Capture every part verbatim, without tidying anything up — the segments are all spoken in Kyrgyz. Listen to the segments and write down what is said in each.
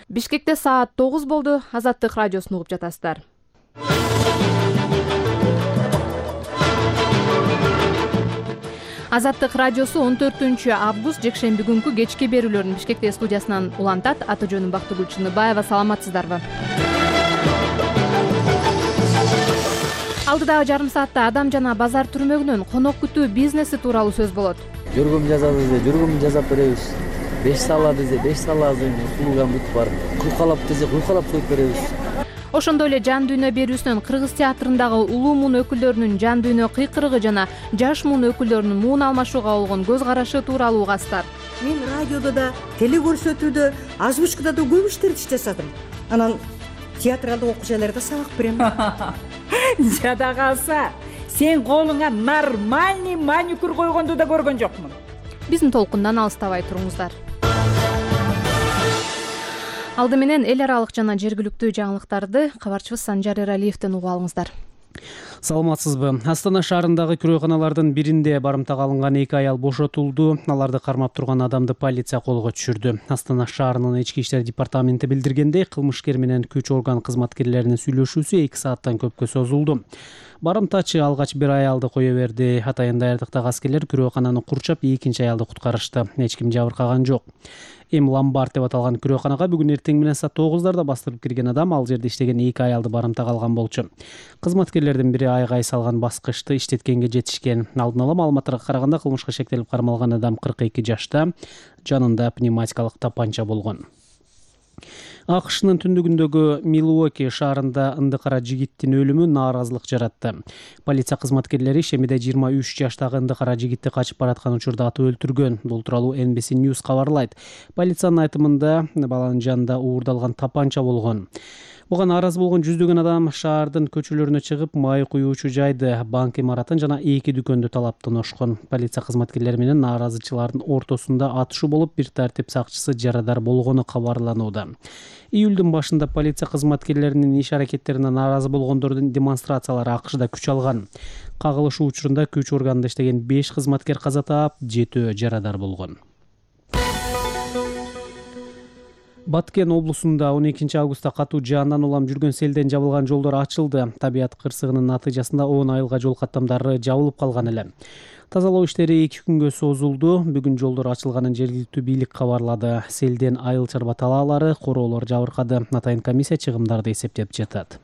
Бишкекте саат тогуз болду. Азаттык радиосун угуп жатасыздар. Азаттык радиосу он төртүнчү август жекшемби күнкү кечки берүүлөрүн Бишкекте студиясынан улантат. Аты жөнүм Бактыгүл Чыныбаева. Саламатсыздарбы? Алдыдагы жарым саатта адам жана базар түрмөгүнөн конок күтүү бизнеси тууралуу сөз болот. Жүргүм жазабыз де, жүргүм жасап беребиз. беш салла десе, беш саллабыздын услугам бүт бар. Куйкалап десе, куйкалап коюп беребиз. Ошондой эле жан дүйнө берүүсүнөн Кыргыз театрындагы улуу муун өкүлдөрүнүн жан дүйнө кыйкырыгы жана жаш муун өкүлдөрүнүн муун алмашууга болгон көз карашы тууралуу угасыздар. Мен радиодо да, теле көрсөтүүдө, озвучкада да көп иштерди жасадым. Анан театралдык окуучуларга сабак берем. Жада калса, сен колуңа нормальный маникюр койгонду да көргөн жокмун. Биздин толкундан алыстабай туруңуздар. Алды менен эл аралык жана жергиликтүү жаңылыктарды кабарчыбыз Санжар Эралиевден угуп алыңыздар. Саламатсызбы? Астана шаарындагы күрөканалардын биринде барымтага алынган эки аял бошотулду. Аларды кармап турган адамды полиция колго түшүрдү. Астана шаарынын ички иштер департаменти билдиргендей, кылмышкер менен күч орган кызматкерлеринин сүйлөшүүсү эки сааттан көпкө созулду. Барымтачы алгач бир аялды кое берди. Атайын даярдыктагы аскерлер күрөкананы курчап, экинчи аялды куткарышты. Эч ким жабыркаган жок. Эм Ломбард деп аталган күрөканага бүгүн эртең менен саат тогуздарда бастырып кирген адам ал жерде иштеген эки аялды барымтага алган болчу. Кызматкерлердин бири айгай салган баскычты иштеткенге жетишкен. Алдын ала маалыматтарга караганда кылмышка шектелип кармалган адам кырк эки жашта, жанында пневматикалык тапанча болгон. АКШнын түндүгүндөгү Милуоки шаарында ындыкара жигиттин өлүмү нааразылык жаратты. Полиция кызматкерлери ишемиде жыйырма үч жаштагы ындыкара жигитти качып бараткан учурда атып өлтүргөн. Бул тууралуу Эн Би Си News кабарлайт. Полициянын айтымында баланын жанында уурдалган тапанча болгон. Буга нааразы болгон жүздөгөн адам шаардын көчөлөрүнө чыгып, май куюучу жайды, банк имаратын жана эки дүкөндү талап тоношкон. Полиция кызматкерлери менен нааразычылардын ортосунда атышуу болуп, бир тартип сакчысы жарадар болгону кабарланууда. Июлдун башында полиция кызматкерлеринин иш аракеттерине нааразы болгондордун демонстрациялары АКШда күч алган. Кагылышуу учурунда күч органында иштеген беш кызматкер каза таап, жетөө жарадар болгон. Баткен облусунда он экинчи августта катуу жаандан улам жүргөн селден жабылган жолдор ачылды. Табият кырсыгынын натыйжасында он айылга жол каттамдары жабылып калган эле. Тазалоо иштери эки күнгө созулду. Бүгүн жолдор ачылганын жергиликтүү бийлик кабарлады. Селден айыл чарба талаалары, короолор жабыркады. Атайын комиссия чыгымдарды эсептеп жатат.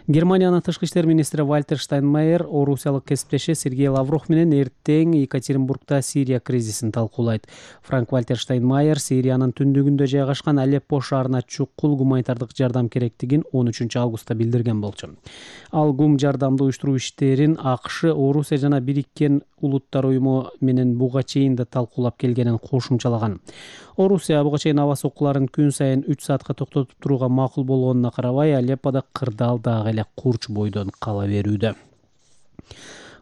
Германиянын тышкы иштер министри Вальтер Штайнмайер орусиялык кесиптеши Сергей Лавров менен эртең Екатеринбургда Сирия кризисин талкуулайт. Франк Вальтер Штайнмайер Сириянын түндүгүндө жайгашкан Алеппо шаарына чукул гуманитардык жардам керектигин он үчүнчү августта билдирген болчу. Ал гум жардамды уюштуруу иштерин АКШ, Орусия жана Бириккен Улуттар уюму менен буга чейин да талкуулап келгенин кошумчалаган. Орусия буга чейин аба соккуларын күн сайын үч саатка токтотуп турууга макул болгонуна карабай, Алеппода кырдаал дагы эле курч бойдон кала берүүдө.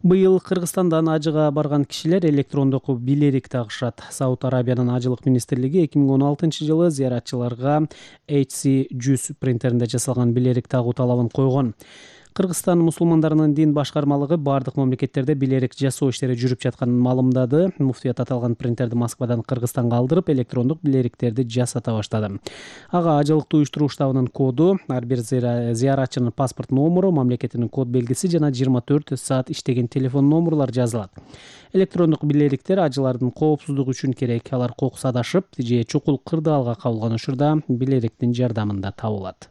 Быйыл Кыргызстандан ажыга барган кишилер электрондук билерик тагышат. Сауд Арабиянын ажылык министрлиги эки миң он алтынчы жылы зыяратчыларга эйч си жүз принтеринде жасалган билерик тагуу талабын койгон. Кыргызстан мусулмандарынын дин башкармалыгы бардык мамлекеттерде билерик жасоо иштери жүрүп жатканын маалымдады. Муфтият аталган принтерди Москвадан Кыргызстанга алдырып, электрондук билериктерди жасата баштады. Ага ажылыктуу уюштуруу штабынын коду, ар бир зыяратчынын паспорт номуру, мамлекетинин код белгиси жана жыйырма төрт саат иштеген телефон номурлар жазылат. Электрондук билериктер ажылардын коопсуздугу үчүн керек. Алар кокус адашып же чукул кырдаалга кабылган учурда билериктин жардамында табылат.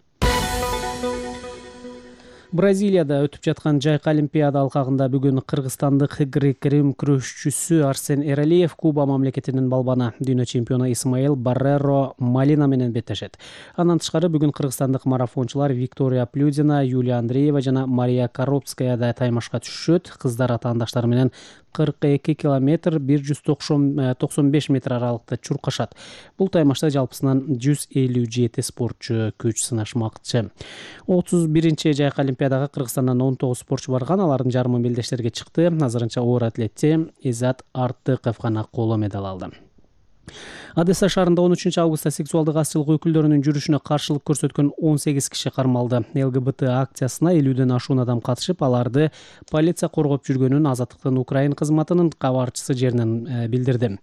Бразилияда өтүп жаткан жайкы олимпиада алкагында бүгүн кыргызстандык грек-рим күрөшчүсү Арсен Эралиев Куба мамлекетинин балбаны дүйнө чемпиону Исмаил Барреро Малина менен беттешет. Андан тышкары бүгүн кыргызстандык марафончулар Виктория Плюдина, Юлия Андреева жана Мария Коробская да таймашка түшөт. Кыздар атаандаштары менен кырк эки километр бир жүз токсон беш метр аралыкта чуркашат. Бул таймашта жалпысынан жүз элүү жети спортчу күч сынашмакчы. отуз биринчи жайкы олимпиадага Кыргызстандан он тогуз спортчу барган. Алардын жарымы белдештерге чыкты. Азырынча оор атлетчи Изат Артыков гана коло медаль алды. Одесса шаарында он үчүнчү августта сексуалдык азчылык өкүлдөрүнүн жүрүшүнө каршылык көрсөткөн он сегиз киши кармалды. эл гэ бэ тэ акциясына элүүдөн ашуун адам катышып, аларды полиция коргоп жүргөнүн Азаттыктын Украин кызматынын кабарчысы жеринен билдирди.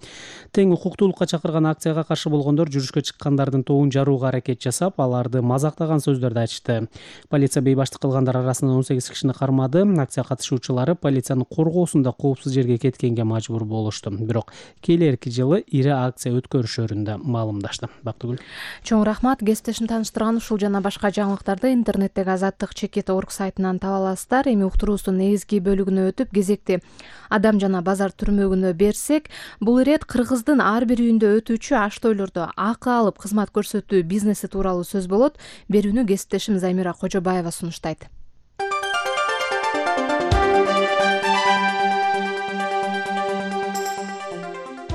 Тең укуктуулукка чакырган акцияга каршы болгондор жүрүшкө чыккандардын тобун жарууга аракет жасап, аларды мазактаган сөздөрдү айтышты. Полиция бейбаштык кылгандар арасынан он сегиз кишини кармады. Акция катышуучулары полициянын коргоосунда коопсуз жерге кеткенге мажбур болушту. Бирок келерки жылы ири акция өткөрүшөрүн маалымдашты. Бактыгүл. Чоң рахмат. Кесиптешим тааныштырган ушул жана башка жаңылыктарды интернеттеги азаттык чекит орг сайтынан таба аласыздар. Эми уктуруубуздун негизги бөлүгүнө өтүп, кезекти адам жана базар түрмөгүнө берсек, бул ирет Кыргыздын ар бир үйүндө өтүүчү аштойлордо акы алып кызмат көрсөтүү бизнеси тууралуу сөз болот. Берүүнү кесиптешим Замира Кожобаева сунуштайт.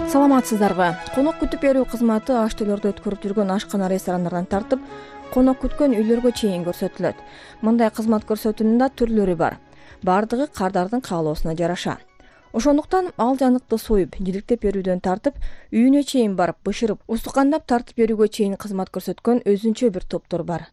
Саламатсыздарбы? Конок күтүп берүү кызматы аштойлордо өткөрүп жүргөн ашкана, ресторандардан тартып, конок күткөн үйлөргө чейин көрсөтүлөт. Мындай кызмат көрсөтүүнүн да түрлөрү бар. Бардыгы кардардын каалоосуна жараша. Ошондуктан ал жаныкты союп, жиликтеп берүүдөн тартып, үйүнө чейин барып, бышырып, устукандап тартып берүүгө чейин кызмат көрсөткөн өзүнчө бир топтор бар.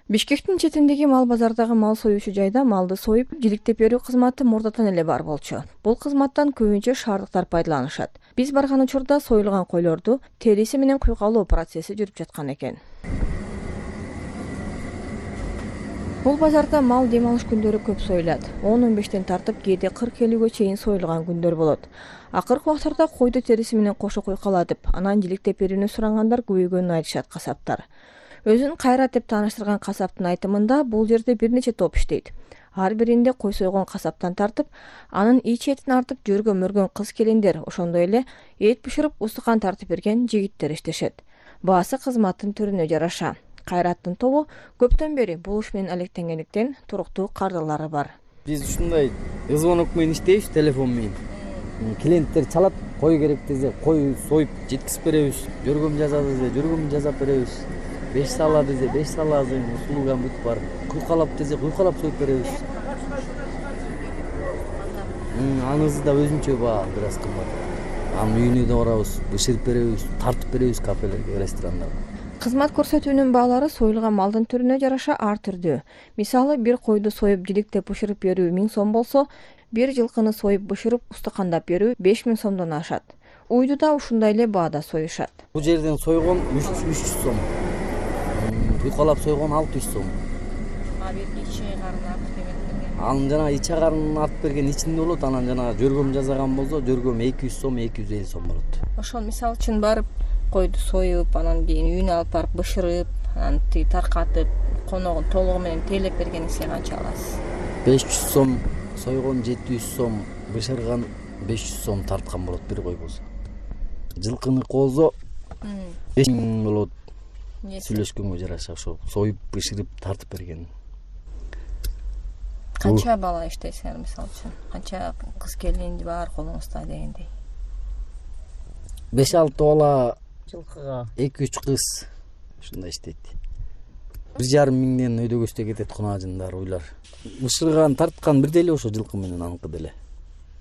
Бишкектин четиндеги мал базардагы мал союучу жайда малды союп, жиликтеп берүү кызматы мурдатан эле бар болчу. Бул кызматтан көбүнчө шаардыктар пайдаланышат. Биз барган учурда союлган койлорду териси менен куйгалоо процесси жүрүп жаткан экен. Бул базарда мал дем алыш күндөрү көп союлат. он он бештен тартып, кээде кырк элүүгө чейин союлган күндөр болот. Акыркы убактарда койду териси менен кошо куйкалатып, анан жиликтеп берүүнү сурагандар көбөйгөнүн айтышат касаптар. Өзүн Кайрат деп тааныштырган касаптын айтымында, бул жерде бир нече топ иштейт. Ар биринде кой сойгон касаптан тартып, анын ич этин артып жөргө мөргөн кыз келиндер, ошондой эле эт бышырып устукан тартып берген жигиттер иштешет. Баасы кызматтын түрүнө жараша. Кайраттын тобу көптөн бери бул иш менен алектенгендиктен туруктуу кардылары бар. Биз ушундай звонок менен иштейбиз, телефон менен. Клиенттер чалат, кой керек десе, кой союп жеткизип беребиз. Жөргөм жазат десе, жөргөм жазап беребиз. беш сала десе, беш салабыз, услугам бүт бар. Куйкалап десе, куйкалап союп беребиз. Анысы да өзүнчө баа, бир аз кымбат. Анын үйүнө да барабыз, бышырып беребиз, тартып беребиз кафелерге, ресторандарга. Кызмат көрсөтүүнүн баалары союлган малдын түрүнө жараша ар түрдүү. Мисалы, бир койду союп жиликтеп бышырып берүү миң сом болсо, бир жылкыны союп бышырып устукандап берүү беш миң сомдон ашат. Уйду да ушундай эле баада союшат. Бул жерден сойгон үч жүз сом. Куйкалап сойгон алты жүз сом. А бир ичи карын артып берген. Анын жана ичи карын артып берген ичинде болот, анан жана жөргөм жасаган болсо, жөргөм эки жүз сом, эки жүз элүү сом болот. Ошол мисалы үчүн барып койду союп, анан кийин үйүнө алып барып бышырып, анан таркатып, коногун толугу менен тейлеп бергениңизге канча аласыз? беш жүз сом сойгон, жети жүз сом бышырган, беш жүз сом тарткан болот бир кой болсо. Жылкыны болсо беш миң болот. Сүйлөшкөнгө жараша ошо союп, бышырып, тартып берген. Канча бала иштейсиңер мисалы үчүн? Канча кыз келин бар колуңузда дегендей? беш алты бала жылкыга, эки үч кыз ушундай иштейт. бир жарым миңден өйдө көстө кетет кунажындар, уйлар. Бышырган, тарткан бир деле ошо жылкы менен аныкы деле.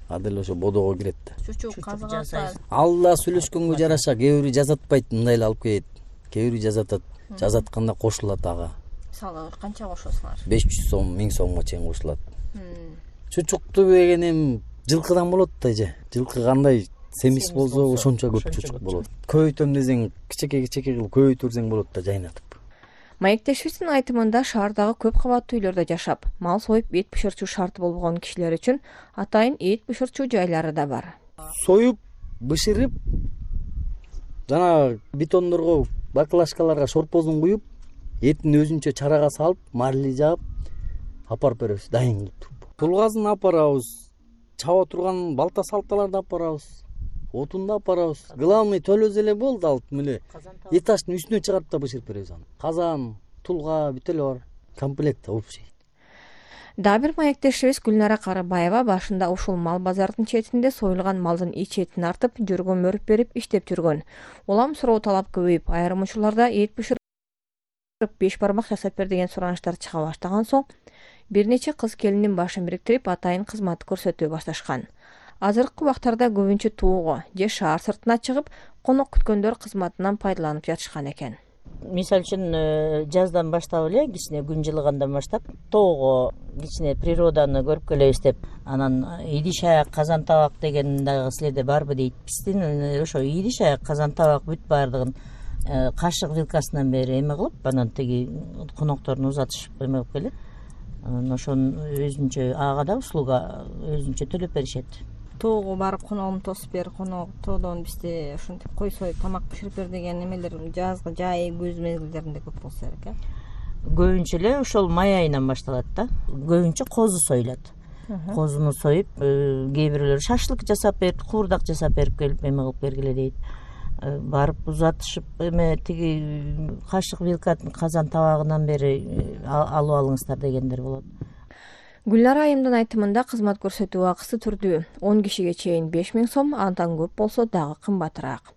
А деле ошо бодого кирет да. Чучук казыган. Ал да сүйлөшкөнгө жараша, кээ бири жазатпайт, мындай эле алып келет. Кээ бири жазатат, жазатканда кошулат ага. Мисалы, канча кошосуңар? беш жүз сом, миң сомго чейин кошулат. Чучукту деген эми жылкыдан болот да же. Жылкы кандай семиз болсо, ошончо көп чучук болот. Көбөйтөм десең, кичеке-кичеке кылып көбөйтүп берсең болот да, жайнатып. Маектешибиздин айтымында, шаардагы көп кабаттуу үйлөрдө жашап, мал союп эт бышырчу шарты болгон кишилер үчүн атайын эт бышырчу жайлары да бар. Союп, бышырып, жана бетондорго, баклажкаларга шорпозун куюп, этин өзүнчө чарага салып, марли жаап, апарып беребиз, дайын кылып. Тулгазын апарабыз, чаба турган балта салталарды апарабыз, отунду апарабыз. Главный төлөз эле болду, алып меле этаждын үстүнө чыгарып да бышырып беребиз аны. Казан, тулга, бүт эле бар. Комплект общий. Дагы бир маектешибиз Гүлнара Карыбаева башында ушул мал базардын четинде союлган малдын ич этин артып, жөргө мөрүп берип иштеп жүргөн. Улам суроо талап көбөйүп, айрым учурларда эт бышырып беш бармак жасап бер деген суранычтар чыга баштаган соң, бир нече кыз келиндин башын бириктирип, атайын кызмат көрсөтүү башташкан. Азыркы убактарда көбүнчө тоого же шаар сыртына чыгып, конок күткөндөр кызматынан пайдаланып жатышкан экен. Мисалы үчүн жаздан баштап эле кичине күн жылыгандан баштап тоого кичине природаны көрүп келебиз деп, анан идиш аяк казан табак деген дагы силерде барбы дейт. Биздин ошо идиш аяк казан табак бүт баардыгын кашык вилкасынан бери эме кылып, анан тиги конокторун узатышып эме кылып келет. Анан ошону өзүнчө ага да услуга өзүнчө төлөп беришет. Тоого барып коногун тосуп бер, конок тоодон бизде ушинтип кой союп тамак биширип бер деген эмелер жазгы жай күз мезгилдеринде көп болсо керек э. Көбүнчө эле ошол май айынан башталат да. Көбүнчө козу союлат. Козуну союп, кээ бирлери шашлык жасап берип, куурдак жасап берип келип эме кылып бергиле дейт. Барып узатышып эме тиги кашык вилкатын казан табагынан бери алып алыңыздар дегендер болот. Гүлнара айымдын айтымында кызмат көрсөтүү акысы түрдүү. он кишиге чейин беш миң сом, андан көп болсо дагы кымбатыраак.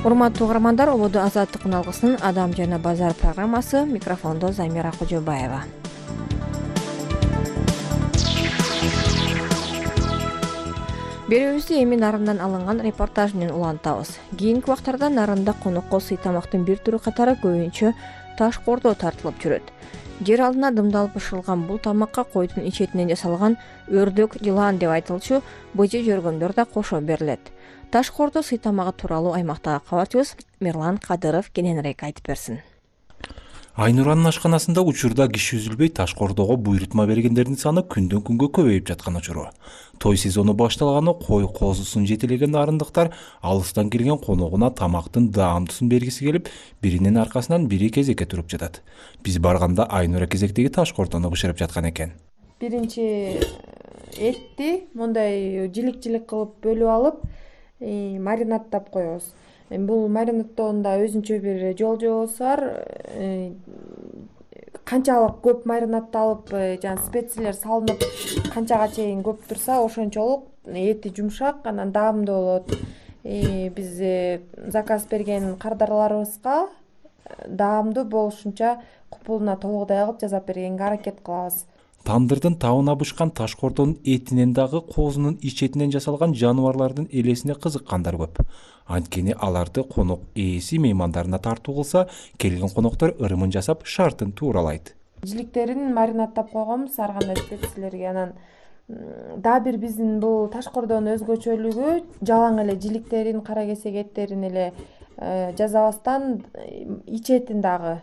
Урматтуу угармандар, ободо азаттык алгысынын Адам жана базар программасы. Микрофондо Замира Кожобаева. Берүүбүздү эми нарындан алынган репортаж менен улантабыз. Кийинки убактарда нарында конокко сый тамактын бир түрү катары көбүнчө таш кордо тартылып жүрөт. Жер алдына дымдалып бышырылган бул тамакка койдун ичетинен жасалган өрдөк, жылан деп айтылчу быжы жөргөндөр да кошо берилет. Таш кордо сый тамагы тууралуу аймактагы кабарчыбыз Мирлан Кадыров кененирээк айтып берсин. Айнуранын ашканасында учурда киши үзүлбөй таш кордого буйрутма бергендердин саны күндөн күнгө көбөйүп жаткан учуру. Той сезону башталганы кой козусун жетелеген нарындыктар алыстан келген коногуна тамактын даамдусын бергиси келип, биринин аркасынан бири кезекке туруп жатат. Биз барганда Айнура кезектеги таш кордону бышырып жаткан экен. Биринчи этти мондай жилик-жилик кылып бөлүп алып, маринадтап коебуз. Бул маринадтоонда өзүнчө бир жол-жобосу бар. Канчалык көп маринадталып, жана специялар салынып, канчага чейин көп турса, ошончолук эти жумшак, анан даамдуу болот. Биз заказ берген кардарларыбызга даамдуу болушунча купулуна толугудай кылып жасап бергенге аракет кылабыз. Тандырдын табына бышкан таш кордонун этинен дагы козунун ичетинен жасалган жаныбарлардын элесине кызыккандар көп. Анткени аларды конок ээси меймандарына тартуу кылса, келген коноктор ырымын жасап, шартын тууралайт. Жиликтерин маринадтап койгонбуз ар кандай специялерге. Анан дагы бир биздин бул таш кордонун өзгөчөлүгү жалаң эле жиликтерин, кара кесек эттерин эле жасабастан ичетин дагы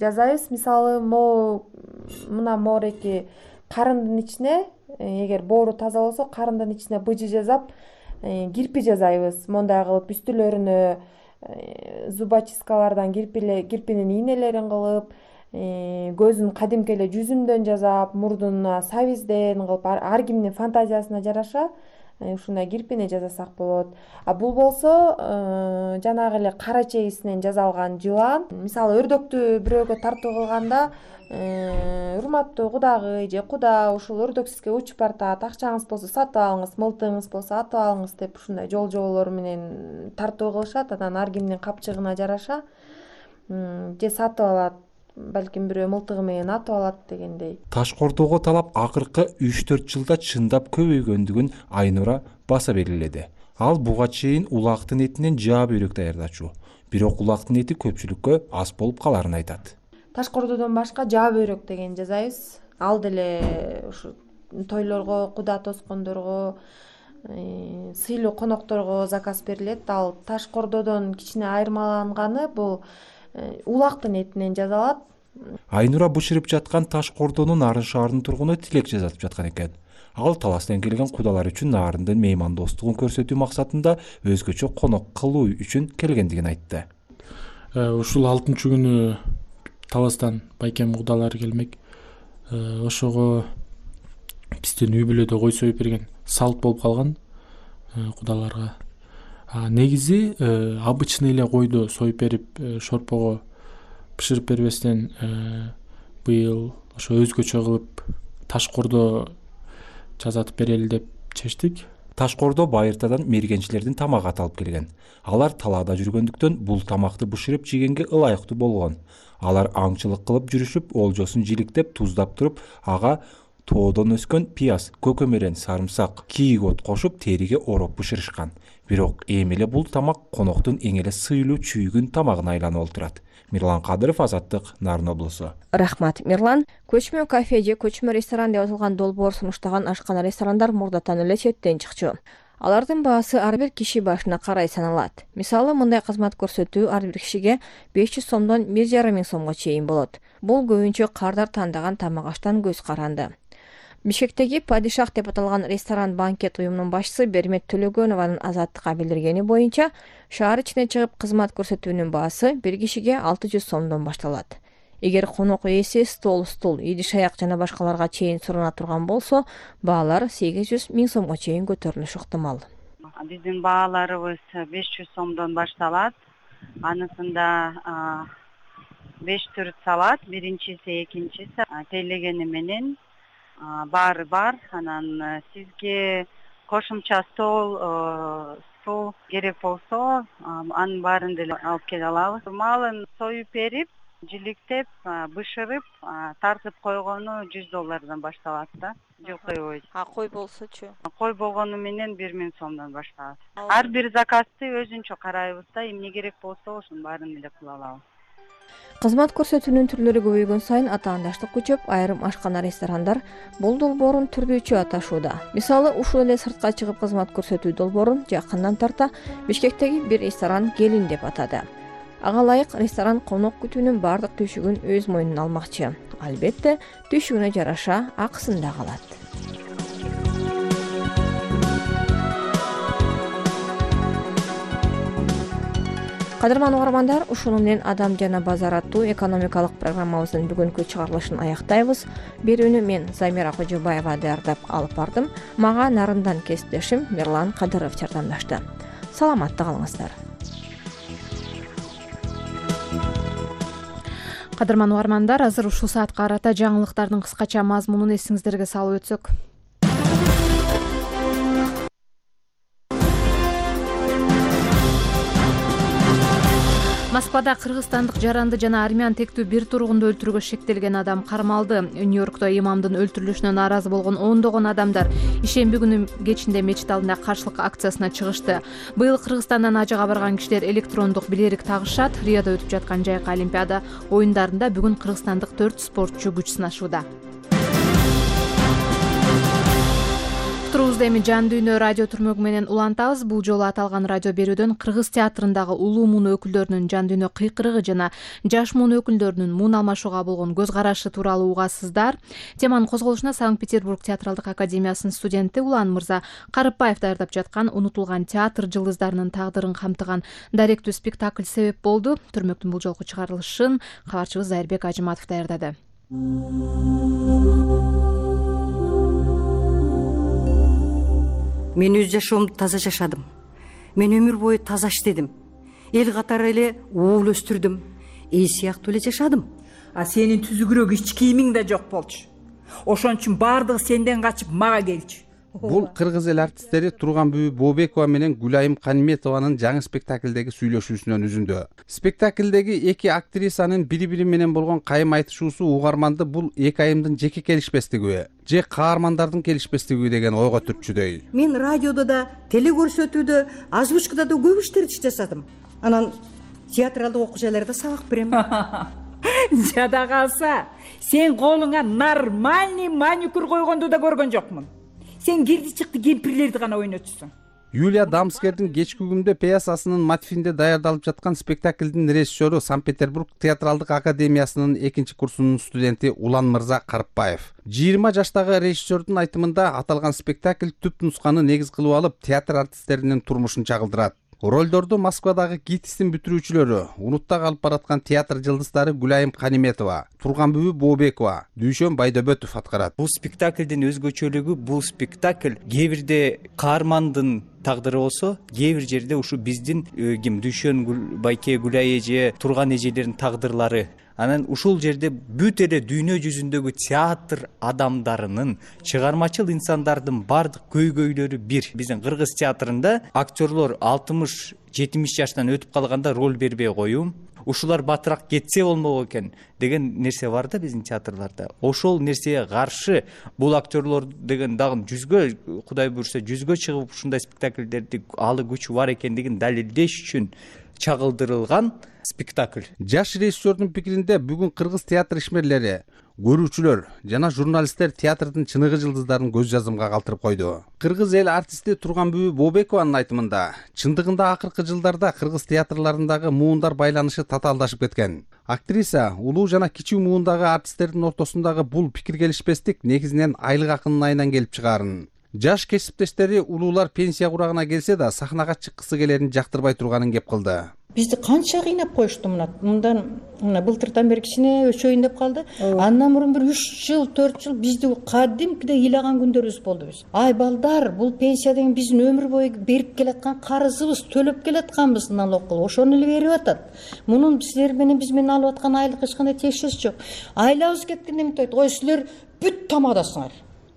жасайбыз. Мисалы, мо мына моореки карындын ичине, эгер боору таза болсо, карындын ичине быжы жасап, кирпи жасайбыз. Мондай кылып үстүлөрүнө зубочисткалардан кирпинин ийнелерин кылып, көзүн кадимки эле жүзүмдөн жасап, мурдуна сабизден кылып, ар кимдин фантазиясына жараша ушундай кирпини жасасак болот. А бул болсо жанагы эле кара чегисинен жасалган жылан. Мисалы, өрдөктү бирөөгө тартуу кылганда, урматтуу кудагый же куда ушул өрдөк сизге учуп бартат, акчаңыз болсо сатып алыңыз, мылтыгыңыз болсо атып алыңыз деп ушундай жол-жоболор менен тартуу кылышат. Анан ар кимдин капчыгына жараша же сатып алат, балким бирөө мылтыгы менен атып алат дегендей. Таш кордого талап акыркы үч төрт жылда чындап көбөйгөндүгүн Айнура баса белгиледи. Ал буга чейин улактын этинен жаа бөйрөк даярдачу. Бирок улактын эти көпчүлүккө аз болуп каларын айтат. Таш кордодон башка жаа бөйрөк деген жасайбыз. Ал деле ушу тойлорго, куда тоскондорго, сыйлуу конокторго заказ берилет. Ал таш кордодон кичине айырмаланганы бул улактын этинен жасалат. Айнура бышырып жаткан таш кордону Нарын шаарынын тургуну Тилек жасатып жаткан экен. Ал таластан келген кудалар үчүн нарындын меймандостугун көрсөтүү максатында өзгөчө конок кылуу үчүн келгендигин айтты. Ушул алтынчы күнү таластан байкем кудалар келмек. Ошого биздин үй бүлөдө кой союп берген салт болуп калган кудаларга. Негизи обычный эле койду союп берип, шорпого бышырып бербестен быйыл ошо өзгөчө кылып таш кордо жасатып берели деп чечтик. Ташкоордо Байыртадан мергенчилердин тамагы аталып келген. Алар талаада жүргөндүктөн бул тамакты бышырып жегенге ылайыктуу болгон. Алар аңчылык кылып жүрүшүп, олжосун жиликтеп, туздап туруп, ага тоодон өскөн пияз, көкөмөрөн, сарымсак, кийик от кошуп териге ороп бышырышкан. Бирок эми эле бул тамак коноктун эң эле сыйлуу чүйгүн тамагына айланып олтурат. Мирлан Кадыров, Азаттык, Нарын облусу. Рахмат, Мирлан. Көчмө кафе же көчмө ресторан деп аталган долбоор сунуштаган ашкана ресторандар мурдатан эле четтен чыкчу. Алардын баасы ар бир киши башына карай саналат. Мисалы, мындай кызмат көрсөтүү ар бир кишиге беш жүз сомдон бир жарым миң сомго чейин болот. Бул көбүнчө кардар тандаган тамак аштан көз каранды. Бишкектеги Падишах деп аталган ресторан банкет уюмунун башчысы Бермет Төлөгөнованын Азаттыкка билдиргени боюнча, шаар ичине чыгып кызмат көрсөтүүнүн баасы бир кишиге алты жүз сомдон башталат. Эгер конок ээси стол, стул, идиш аяк жана башкаларга чейин сурана турган болсо, баалар сегиз жүз миң сомго чейин көтөрүлүшү ыктымал. Биздин бааларыбыз беш жүз сомдон башталат. Анысында беш түр салат, биринчиси, экинчиси тейлегени менен баары бар. Анан сизге кошумча стол, суу керек болсо, анын баарын деле алып келе алабыз. Малын союп берип, жиликтеп, бышырып, тартып койгону жүз доллардан башталат да. Жылкой. А кой болсочу? Кой болгону менен бир миң сомдон башталат. Ар бир заказды өзүнчө карайбыз да, эмне керек болсо ошонун баарын эле кыла алабыз. Кызмат көрсөтүүнүн түрлөрү көбөйгөн сайын атаандаштык күчөп, айрым ашкана ресторандар бул долбоорун түрдүүчү аташууда. Мисалы, ушул эле сыртка чыгып кызмат көрсөтүү долбоорун жакындан тарта Бишкектеги бир ресторан Келин деп атады. Ага ылайык ресторан конок күтүүнүн бардык түйшүгүн өз мойнуна алмакчы. Албетте, түйшүгүнө жараша акысын да алат. Кадырман угармандар, ушуну менен Адам жана базар аттуу экономикалык программабыздын бүгүнкү чыгарылышын аяктайбыз. Берүүнү мен Замира Кожобаева даярдап алып бардым. Мага Нарындан кесиптешим Мирлан Кадыров жардамдашты. Саламатта калыңыздар. Кадырман угармандар, азыр ушул саатка карата жаңылыктардын кыскача мазмунун эсиңиздерге салып өтсөк. Москвада кыргызстандык жаранды жана армян тектүү бир тургунду өлтүрүүгө шектелген адам кармалды. Нью-Йоркто имамдын өлтүрүлүшүнө нааразы болгон ондогон адамдар ишемби күнү кечинде мечит алдында каршылык акциясына чыгышты. Быйыл Кыргызстандан ажыга барган кишилер электрондук билерик тагышат. Риодо өтүп жаткан жайкы Олимпиада оюндарында бүгүн кыргызстандык төрт спортчу күч сынашууда. Турубузду эми жан дүйнө радио түрмөгү менен улантабыз. Бул жолу аталган радио берүүдөн кыргыз театрындагы улуу муун өкүлдөрүнүн жан дүйнө кыйкырыгы жана жаш муун өкүлдөрүнүн муун алмашууга болгон көз карашы тууралуу угасыздар. Теманын козголушуна Санкт-Петербург театралдык академиясынын студенти Улан Мырза Карыпбаев даярдап жаткан унутулган театр жылдыздарынын тагдырын камтыган даректүү спектакль себеп болду. Түрмөктүн бул жолку чыгарылышын кабарчыбыз Зайырбек Ажыматов даярдады. Мен өз жашоомду таза жашадым. Мен өмүр бою таза иштедим. Эл катары эле уул өстүрдүм. Эл сыяктуу эле жашадым. А сенин түзүгүрөөк ич кийимиң да жок болчу. Ошон үчүн баардыгы сенден качып мага келчү. Бул кыргыз эл артисттери Турганбүбү Бообекова менен Гүлайым Каниметованын жаңы спектаклдеги сүйлөшүүсүнөн үзүндү. Спектаклдеги эки актрисанын бири-бири менен болгон кайым айтышуусу угарманды бул эки айымдын жеке келишпестиги же каармандардын келишпестиги деген ойго түртчүдөй. Мен радиодо да, телекөрсөтүүдө, озвучкада да көп иштерди жасадым. Анан театралдык окуу жайларда сабак берем. Жада калса, сен колуңа нормальный маникюр койгонду да көргөн жокмун. Сен кирди чыкты кемпирлерди гана ойнотсуң. Юлия Дамскердин кечки күндө пьесасынын мотивинде даярдалып жаткан спектаклдин режиссеру Санкт-Петербург театралдык академиясынын экинчи курсунун студенти Улан Мырза Карыпбаев. жыйырма жаштагы режиссердун айтымында аталган спектакль түп нусканы негиз кылып алып, театр артисттеринин турмушун чагылдырат. Ролдорду Москвадагы ГИТИСтин бүтүрүүчүлөрү, Унутта калып бараткан театр жылдыздары Гүлайым Каниметова, Турганбүбү Бообекова, Дүйшөн Байдөбөтов аткарат. Бул спектаклдин өзгөчөлүгү, бул спектакль кээ бирде каармандын тагдыры болсо, кээ бир жерде ушу биздин ким Дүйшөн Байке, Гүлай эже, Турган эжелердин тагдырлары. Анан ушул жерде бүт эле дүйнө жүзүндөгү театр адамдарынын, чыгармачыл инсандардын бардык көйгөйлөрү бир. Биздин кыргыз театрында актерлор алтымыш жетимиш жаштан өтүп калганда роль бербей коюм, ушулар батыраак кетсе болмок экен деген нерсе бар да биздин театрларда. Ошол нерсеге каршы бул актерлор деген дагы жүзгө, Кудай буйрса, жүзгө чыгып ушундай спектакльдерди алы күчү бар экендигин далилдеш үчүн чагылдырылган спектакль. Жаш режиссердун пикиринде бүгүн кыргыз театр ишмерлери, көрүүчүлөр жана журналисттер театрдын чыныгы жылдыздарын көз жазымга калтырып койду. Кыргыз эл артисти Турганбүбү Бообекованын айтымында, чындыгында акыркы жылдарда кыргыз театрларындагы муундар байланышы татаалдашып кеткен. Актриса улуу жана кичүү муундагы артисттердин ортосундагы бул пикир келишпестик негизинен айлык акынын айынан келип чыгаарын. Жаш кесиптештери улуулар пенсия курагына келсе да сахнага чыккысы келерин жактырбай турганын кеп кылды. Бизди канча кыйнап коюшту мына. Мындан мына былтыртан бери кичине өчөйүн деп калды. Андан мурун бир үч жыл, төрт жыл бизди кадимкиде ыйлаган күндөрүбүз болду биз. Ай балдар, бул пенсия деген биздин өмүр бою берип келаткан карызыбыз, төлөп келатканбыз налог кылып. Ошону эле берип атат. Мунун силер менен биз менен алып аткан айлык эч кандай тиешеси жок. Айлабыз кеткенде эмне айтат? Ой, силер бүт тамадасыңар.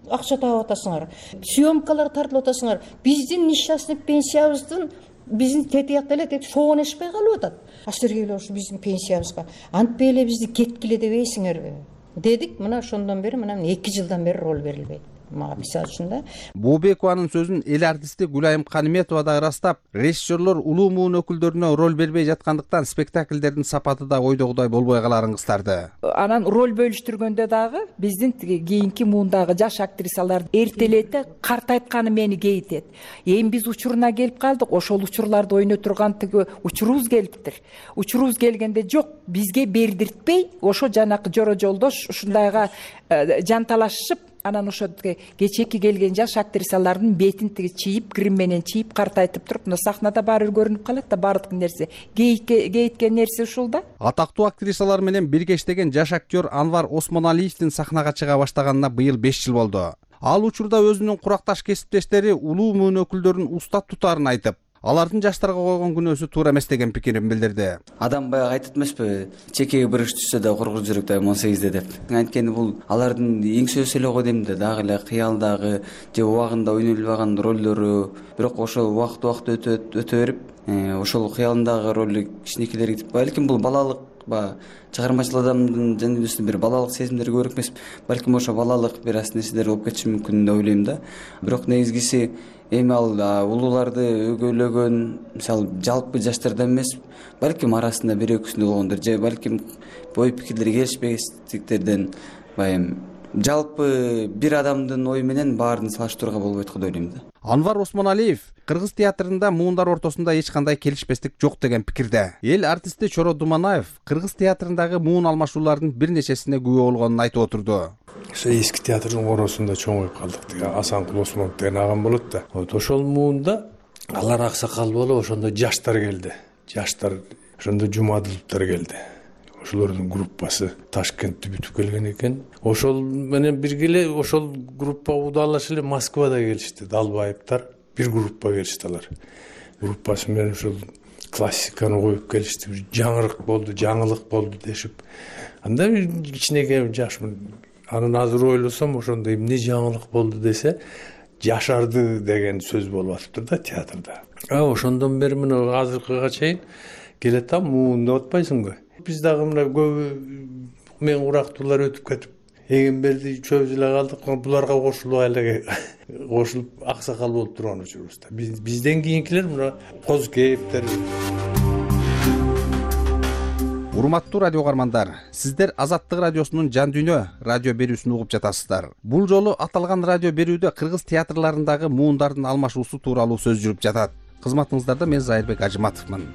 Акча таап атасыңар. Съемкалар тартылып атасыңар. Биздин несчастный пенсиябыздын биздин тетиякта эле тетип шоонешпей калып атат. А силерге эле ушу биздин пенсиябызга антпей эле бизди кеткиле дебейсиңерби дедик. Мына ошондон бери мына эки жылдан бери роль берилбейт. Мага мисалы үчүн да. Бообекованын сөзүн эл артисти Гүлайым Каниметова да ырастап, режиссерлор улуу муун өкүлдөрүнө роль бербей жаткандыктан спектакльдердин сапаты да ойдогудай болбой каларын кыстарды. Анан роль бөлүштүргөндө дагы биздин кийинки муундагы жаш актрисалар эртелете картайтканы мени кейитет. Эми биз учуруна келип калдык, ошол учурларды ойной турган тиги учурубуз келиптир. Учурубуз келгенде жок, бизге бердиртпей, ошо жанакы жора жолдош ушундайга жанталашышып, анан ошо кечээки келген жаш актрисалардын бетин тиги чийип, крем менен чийип, картайтып туруп, мына сахнада баары көрүнүп калат да, баардык нерсе. Кейиткен нерсе ушул да. Атактуу актрисалар менен бирге иштеген жаш актер Анвар Осмоналиевдин сахнага чыга баштаганына быйыл беш жыл болду. Ал учурда өзүнүн куракташ кесиптештери улуу муун өкүлдөрүн устат тутаарын айтып, алардын жаштарга койгон күнөөсү туура эмес деген пикирин билдирди. Адам баягы айтат эмеспи, чекеге бир иш түшсө да кургуз жүрөк дайым он сегизде деп. Анткени бул алардын эңсөөсү эле го дейм да, дагы эле кыялдагы же убагында ойной албаган ролдору, бирок ошол убакыт убакыт өтө өтө берип, ошол кыялындагы роль кичинекейлерге кетип, балким бул балалык ба чыгармачыл адамдын жан дүйнөсүндө бир балалык сезимдер көбүрөөк эмес, балким ошо балалык бир аз нерселер болуп кетиши мүмкүн деп ойлойм да. Бирок негизгиси эми ал улууларды өгөйлөгөн, мисалы жалпы жаштардан эмес, балким арасында бир экөөсүндө болгондор же балким ой пикирлери келишпестиктерден, баягы жалпы бир адамдын ою менен баарын салыштырууга болбойт го деп ойлойм да. Анвар Осмоналиев кыргыз театрында муундар ортосунда эч кандай келишпестик жок деген пикирде. Эл артисти Чоро Думанаев кыргыз театрындагы муун алмашуулардын бир нечесине күбө болгонун айтып отурду. Ошо эски театрдын коросунда чоңоюп калдык деген Асанкул Осмонов деген агам болот да. Вот ошол муунда алар аксакал болуп, ошондо жаштар келди. Жаштар ошондо Жумадыловдор келди. Ошолордун группасы Ташкентти бүтүп келген экен. Ошол менен бирге эле ошол группа удалаш эле Москвада келишти. Далбаевдер бир группа келишти алар. Группасы менен ошол классиканы коюп келишти. Жаңырык болду, жаңылык болду дешип. Анда кичинекей жашмын. Анын азыр ойлосом, ошондо эмне жаңылык болду десе, жашарды деген сөз болуп атыптыр да театрда. А ошондон бери мына азыркыга чейин келетам, муун деп атпайсыңбы? Биз дагы мына көбү мен урактуулар өтүп кетип, Эгемберди чөбүз эле калдык, буларга кошулуп эле кошулуп аксакал болуп турган учурубузда. Бизден кийинкилер мына Козкеевдер. Урматтуу радио угармандар, сиздер Азаттык радиосунун Жан дүйнө радио берүүсүн угуп жатасыздар. Бул жолу аталган радио берүүдө кыргыз театрларындагы муундардын алмашуусу тууралуу сөз жүрүп жатат. Кызматыңыздарда мен Зайырбек Ажыматовмун.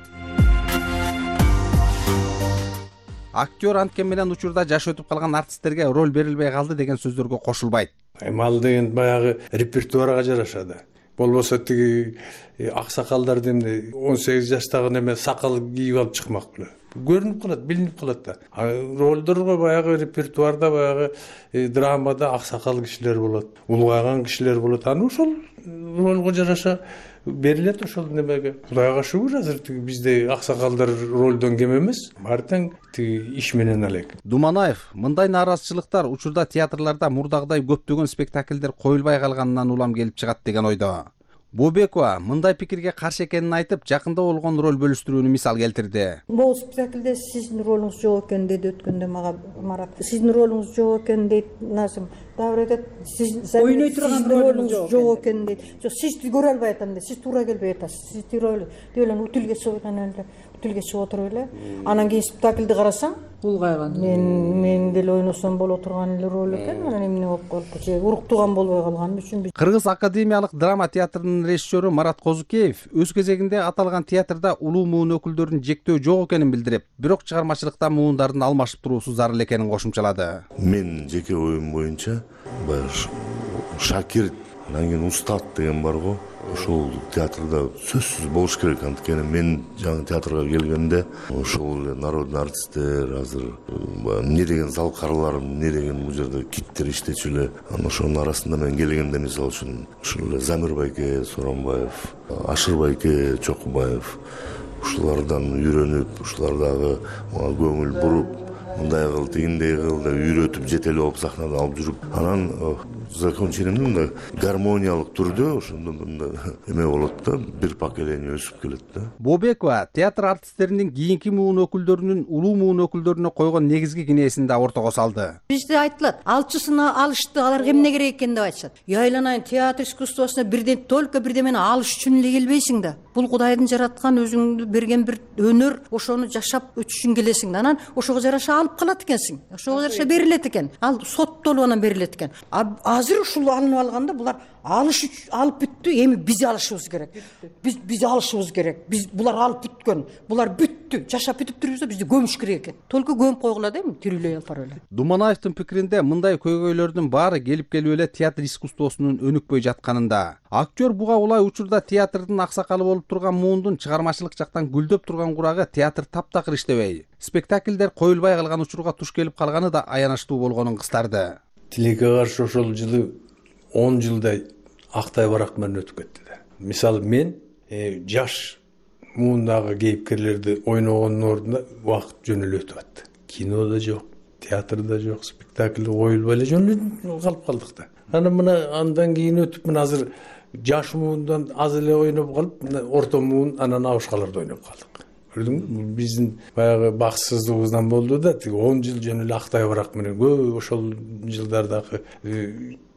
Актер анткен менен учурда жашы өтүп калган артисттерге роль берилбей калды деген сөздөргө кошулбайт. Мал деген баягы репертуарга жараша да. Болбосо тиги аксакалдарды эмне он сегиз жаштагы неме сакал кийип алып чыкмак беле. Көрүнүп калат, билинип калат да. Ролдорго баягы репертуарда, баягы драмада аксакал кишилер болот, улгайган кишилер болот. Аны ошол ролго жараша берилет ошол немеге. Кудайга шүгүр, азыр тиги бизде аксакалдар ролдон кем эмес. Баары тең тиги иш менен алек. Думанаев мындай нааразычылыктар учурда театрларда мурдагыдай көптөгөн спектакльдер коюлбай калганынан улам келип чыгат деген ойдо. Бообекова мындай пикирге каршы экенин айтып, жакында болгон роль бөлүштүрүүнү мисал келтирди. Могу спектакльде сиздин ролуңуз жок экен деди өткөндө мага Марат. Сиздин ролуңуз жок экен дейт Назым. Дагы айтат, сиз ойной турган ролуңуз жок экен дейт. Жок, сизди көрө албай атам дейт. Сиз туура келбей атасыз. Сиз туура эле. Деп эле утилге чыгып эле, утилге чыгып отуруп эле. Анан кийин спектакльди карасаң, улгайган. Мен мен деле ойносом боло турган эле роль экен. Анан эмне болуп калыптыр? Же уруктуган болбой калган үчүн. Кыргыз академиялык драма театрынын режиссеру Марат Козукеев өз кезегинде аталган театрда улуу муун өкүлдөрүн жектөө жок экенин билдирип, бирок чыгармачылыкта муундардын алмашып туруусу зарыл экенин кошумчалады. Мен жеке оюм боюнча баягы шакирт, анан кийин устат деген барго, ошол театрда сөзсүз болуш керек. Анткени мен жаңы театрга келгенде ошол эле народный артисттер, азыр эмне деген залкарлар, эмне деген бул жерде киттер иштечү эле. Анан ошонун арасында мен келгенде мисалы үчүн ушул эле Замир байке Соронбаев, Ашыр байке Чокубаев ушулардан үйрөнүп, ушулар дагы мага көңүл буруп, мындай кыл, тигиндей кыл деп үйрөтүп жетелеп алып сахнада алып жүрүп, анан закончениемде мындай гармониялык түрдө ошондо мындай эме болот да, бир поколение өсүп келет да. Бообекова театр артисттеринин кийинки муун өкүлдөрүнүн улуу муун өкүлдөрүнө койгон негизги кинесин да ортого салды. Бизде айтылат, алчысына алышты, аларга эмне керек экен деп айтышат. Я айланайын, театр искусствосуна бирден только бирдемени алыш үчүн эле келбейсиң да. Бул Кудайдын жараткан, өзүңдү берген бир өнөр, ошону жашап өтүш үчүн келесиң да. Анан ошого жараша алып калат экенсиң. Ошого жараша берилет экен. Ал соттолуп анан берилет экен. Азыр ушул алынып алганда булар алыш алып бүттү, эми биз алышыбыз керек. Биз биз алышыбыз керек. Биз булар алып бүткөн. Булар бүттү. Жашап бүтүп турбуз да, бизди көмүш керек экен. Только көмүп койгула дейм, тирүүлөй алып бара эле. Думанаевдин пикиринде мындай көйгөйлөрдүн баары келип келип эле театр искусствосунун өнүкпөй жатканында. Актер буга улай учурда театрдын аксакалы болуп турган муундун чыгармачылык жактан гүлдөп турган курагы театр таптакыр иштебей, спектакльдер коюлбай калган учурга туш келип калганы да аянычтуу болгонун кыстарды. Тилекке каршы ошол жылы он жылдай Актай барак менен өтүп кетти да. Мисалы мен жаш муундагы кейипкерлерди ойногондун ордуна убакыт жөн эле өтүп атты. Кинода жок, театрда жок, спектакль коюлбай эле жөн эле калып калдык да. Анан мына андан кийин өтүп мына азыр жаш муундан аз эле ойноп калып, мына орто муун анан абышкаларда ойноп калдык. Көрдүңбү? Биздин баягы бакытсыздыгыбыздан болду да, тиги он жыл жөн эле Актай барак менен көп ошол жылдардагы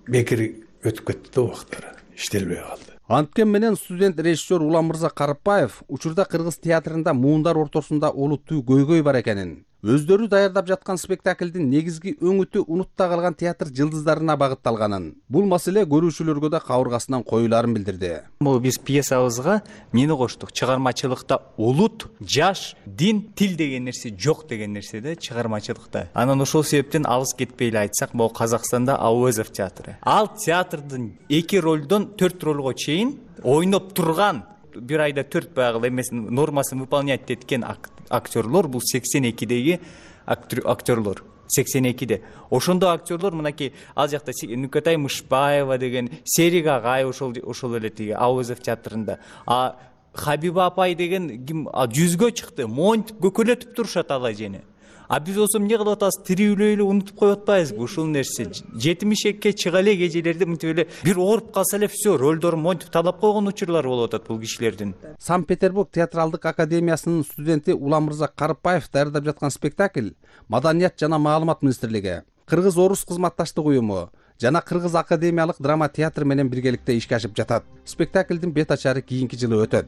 бекер өтүп кетти да убактары, иштелбей калды. Анткен менен студент режиссер Уламырза Карыпбаев учурда кыргыз театрында муундар ортосунда олуттуу көйгөй бар экенин, өздөрү даярдап жаткан спектаклдин негизги өңүтү унутта калган театр жылдыздарына багытталганын, бул маселе көрүүчүлөргө да кабыргасынан коюларын билдирди. Могу биз пьесабызга эмнени коштук? Чыгармачылыкта улут, жаш, дин, тил деген нерсе жок деген нерсе да чыгармачылыкта. Анан ошол себептен алыс кетпей эле айтсак, могу Казакстанда Ауэзов театры. Ал театрдын эки ролдон төрт ролго чейин ойноп турган, бир айда төрт баягы эмесин нормасын выполнять эткен актерлор, бул сексен экидеги актерлор. сексен экиде. Ошондо актерлор мынакей ал жакта Нүкөтай Мышбаева деген, Серик агай ошол ошол эле тиги Ауэзов театрында. А Хабиба апай деген ким жүзгө чыкты, монтип көкөлөтүп турушат ал эжени. А биз болсо эмне кылып атабыз? Тирүүлөй эле унутуп коюп атпайбызбы ушул нерсе? жетимишке чыга эле эжелерди мынтип эле бир ооруп калса эле всё, ролдорун монтип талап койгон учурлар болуп атат бул кишилердин. Санкт-Петербург театралдык академиясынын студенти Уламырза Карыпбаев даярдап жаткан спектакль Маданият жана маалымат министрлиги, Кыргыз Орус кызматташтык уюму жана Кыргыз академиялык драма театр менен биргеликте ишке ашып жатат. Спектаклдин бет ачары кийинки жылы өтөт.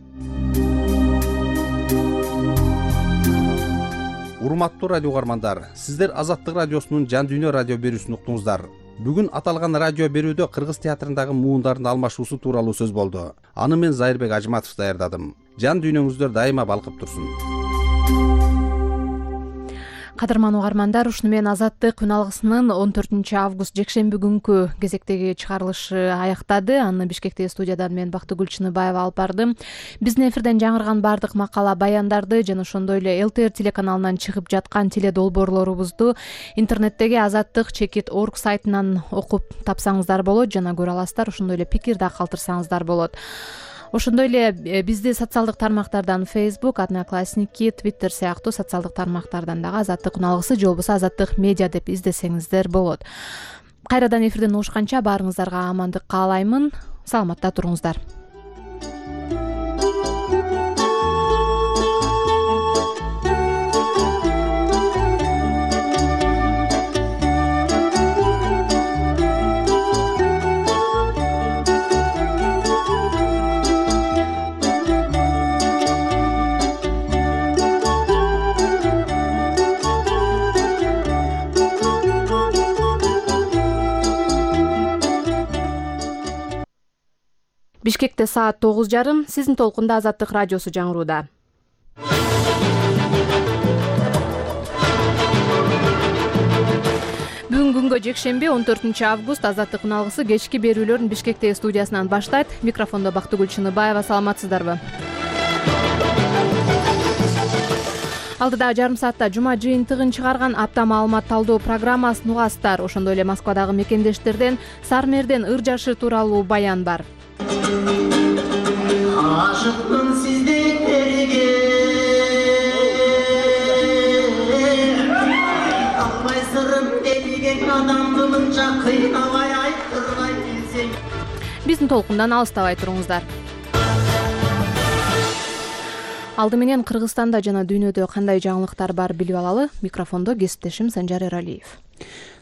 Урматтуу радио угармандар, сиздер Азаттык радиосунун Жан Дүйнө радио берүүсүн уктуңуздар. Бүгүн аталган радио берүүдө Кыргыз театрындагы муундардын алмашуусу тууралуу сөз болду. Аны мен Зайырбек Ажматов даярдадым. Жан дүйнөңүздөр дайыма балкып турсун. Кадырман угармандар, ушуну менен Азаттык күн алгысынын он төртүнчү август жекшемби күнкү кезектеги чыгарылышы аяктады. Аны Бишкектеги студиядан мен Бактыгүл Чыныбаева алып бардым. Биздин эфирден жаңырган баардык макала, баяндарды жана ошондой эле ЛТР телеканалынан чыгып жаткан теле долбоорлорубузду интернеттеги азаттык чекит орг сайтынан окуп тапсаңыздар болот жана көрө аласыздар. Ошондой эле пикир да калтырсаңыздар болот. Ошондой эле бизди социалдык тармактардан Facebook, Одноклассники, Twitter сыяктуу социалдык тармактардан дагы Азаттык күн алгысы же болбосо Азаттык медиа деп издесеңиздер болот. Кайрадан эфирден угушканча баарыңыздарга амандык каалаймын. Саламатта туруңуздар. Бишкекте саат тогуз жарым, сиздин толкунда Азаттык радиосу жаңырууда. Бүгүнкү күнгө жекшемби он төртүнчү август Азаттык күн алгысы кечки берүүлөрүн Бишкектеги студиясынан баштайт. Микрофондо Бактыгүл Чыныбаева. Саламатсыздарбы? Алдыдагы жарым саатта жума жыйынтыгын чыгарган апта маалымат талдоо программасын угасыздар. Ошондой эле Москвадагы мекендештерден Сармерден ыр жашы тууралуу баян бар. Ашыкмын сиздерге, албай сырым делген адамды мынча кыйнабай айттырбай билсең. Биздин толкундан алыстабай туруңуздар. Алды менен Кыргызстанда жана дүйнөдө кандай жаңылыктар бар билип алалы. Микрофондо кесиптешим Санжар Эралиев.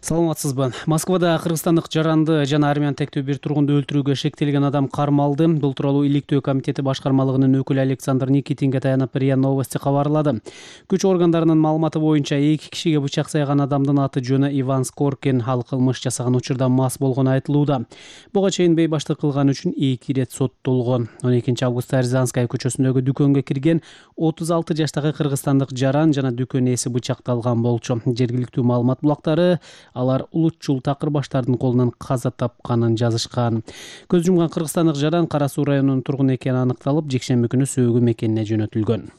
Саламатсызбы? Москвада кыргызстандык жаранды жана армян тектүү бир тургунду өлтүрүүгө шектелген адам кармалды. Бул тууралуу иликтөө комитети башкармалыгынын өкүлү Александр Никитинге таянып РИА Новости кабарлады. Күч органдарынын маалыматы боюнча эки кишиге бычак сайган адамдын аты жөнү Иван Скоркин. Ал кылмыш жасаган учурда мас болгону айтылууда. Буга чейин бейбаштык кылган үчүн эки ирет соттолгон. он экинчи августта Рязанская көчөсүндөгү дүкөнгө кирген отуз алты жаштагы кыргызстандык жаран жана дүкөн ээси бычакталган болчу. Жергиликтүү маалымат булактары алар улутчул такыр баштардын колунан каза тапканын жазышкан. Көз жумган кыргызстандык жаран Кара Суу районунун тургуну экени аныкталып, жекшемби күнү сөөгү мекенине жөнөтүлгөн.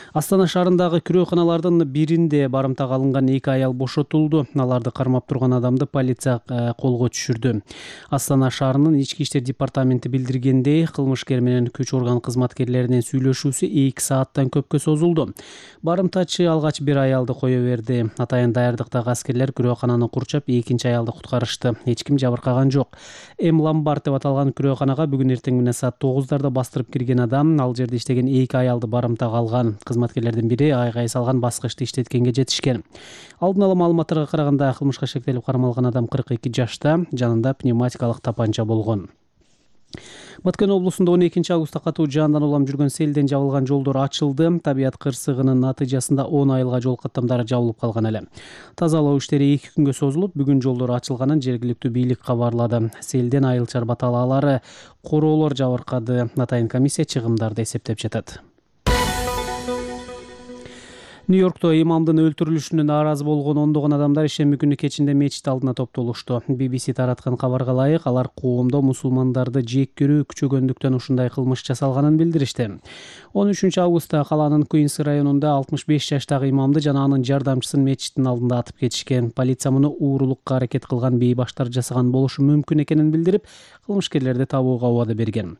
Астана шаарындагы күрөөканалардын биринде барымтага алынган эки аял бошотулду. Аларды кармап турган адамды полиция колго түшүрдү. Астана шаарынын ички иштер департаменти билдиргендей, кылмышкер менен күч орган кызматкерлеринин сүйлөшүүсү эки сааттан көпкө созулду. Барымтачы алгач бир аялды кое берди. Атайын даярдыктагы аскерлер күрөөкананы курчап, экинчи аялды куткарышты. Эч ким жабыркаган жок. М Ламбард деп аталган күрөөканага бүгүн эртең менен саат тогуздарда бастырып кирген адам ал жерде иштеген эки аялды барымтага алган. Кызматкерлердин бири айгай салган баскычты иштеткенге жетишкен. Алдын ала маалыматтарга караганда кылмышка шектелип кармалган адам кырк эки жашта, жанында пневматикалык тапанча болгон. Баткен облусунда он экинчи августта катуу жаандан улам жүргөн селден жабылган жолдор ачылды. Табият кырсыгынын натыйжасында он айылга жол каттамдары жабылып калган эле. Тазалоо иштери эки күнгө созулуп, бүгүн жолдор ачылганын жергиликтүү бийлик кабарлады. Селден айыл баталаалары, короолор жабыркады. Атайын комиссия чыгымдарды эсептеп жатат. Нью-Йоркто имамдын өлтүрүлүшүнө нааразы болгон ондогон адамдар ишемби күнү кечинде мечит алдына топтолушту. Би Би Си тараткан кабарга ылайык, алар коомдо мусулмандарды жек көрүү күчөгөндүктөн ушундай кылмыш жасалганын билдиришти. он үчүнчү августта калаанын Куинс районунда алтымыш беш жаштагы имамды жана анын жардамчысын мечиттин алдында атып кетишкен. Полиция муну уурулукка аракет кылган бейбаштар жасаган болушу мүмкүн экенин билдирип, кылмышкерлерди табууга убада берген.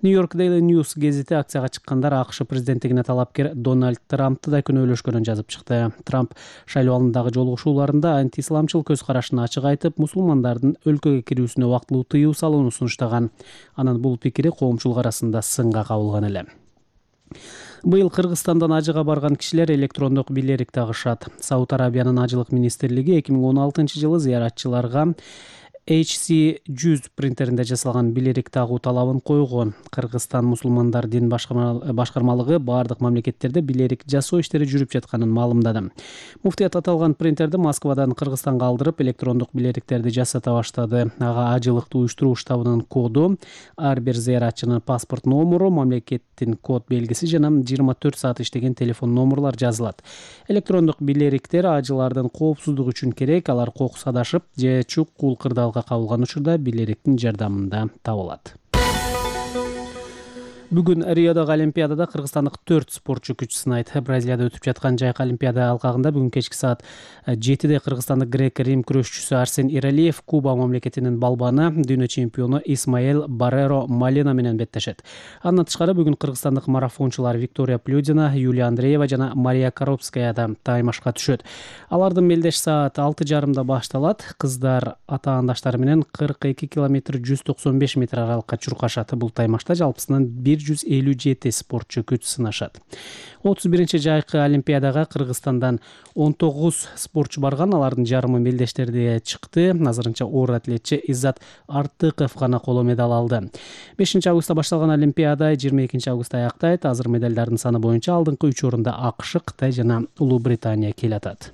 Нью-Йорк Daily News гезити акцияга чыккандар АКШ президенттигине талапкер Дональд Трампты да күнөөлөшкөн жазып чыкты. Трамп шайлоо алдындагы жолугушууларында антисламчыл көз карашын ачык айтып, мусулмандардын өлкөгө кирүүсүнө вактылуу тыюу салууну сунуштаган. Анын бул пикири коомчулук арасында сынга кабылган эле. Быйыл Кыргызстандан ажыга барган кишилер электрондук билерик тагышат. Сауд Арабиянын ажылык министрлиги эки миң он алтынчы жылы зыяратчыларга эйч си жүз принтеринде жасалган билерик тагуу талабын койгон. Кыргызстан мусулмандар дин башкармалыгы бардык мамлекеттерде билерик жасоо иштери жүрүп жатканын маалымдады. Муфтият аталган принтерди Москвадан Кыргызстанга алдырып, электрондук билериктерди жасата баштады. Ага ажылыктуу уюштуруу штабынын коду, ар бир зыяратчынын паспорт номуру, мамлекеттин код белгиси жана жыйырма төрт саат иштеген телефон номурлар жазылат. Электрондук билериктер ажылардын коопсуздугу үчүн керек. Алар кокус адашып же чукул кырдаалга кабылган учурда билериктин жардамында табылат. Бүгүн Риодогу Олимпиадада кыргызстандык төрт спортчу күч сынайт. Бразилияда өтүп жаткан жайкы Олимпиада алкагында бүгүн кечки саат жетиде кыргызстандык грек-рим күрөшчүсү Арсен Иралиев Куба мамлекетинин балбаны, дүйнө чемпиону Исмаэл Барреро Малена менен беттешет. Андан тышкары бүгүн кыргызстандык марафончулар Виктория Плюдина, Юлия Андреева жана Мария Коробская да таймашка түшөт. Алардын мелдеш саат алты жарымда башталат. Кыздар атаандаштары менен кырк эки километр жүз токсон беш метр аралыкка чуркашат. Бул таймашта жалпысынан бир жүз элүү жети спортчу күч сынашат. отуз биринчи жайкы Олимпиадага Кыргызстандан он тогуз спортчу барган. Алардын жарымы мелдештерде чыкты. Азырынча оор атлетчи Иззат Артыков гана коло медаль алды. бешинчи августта башталган Олимпиада жыйырма экинчи августта аяктайт. Азыр медалдардын саны боюнча алдыңкы үч орунда АКШ, Кытай жана Улуу Британия келатат.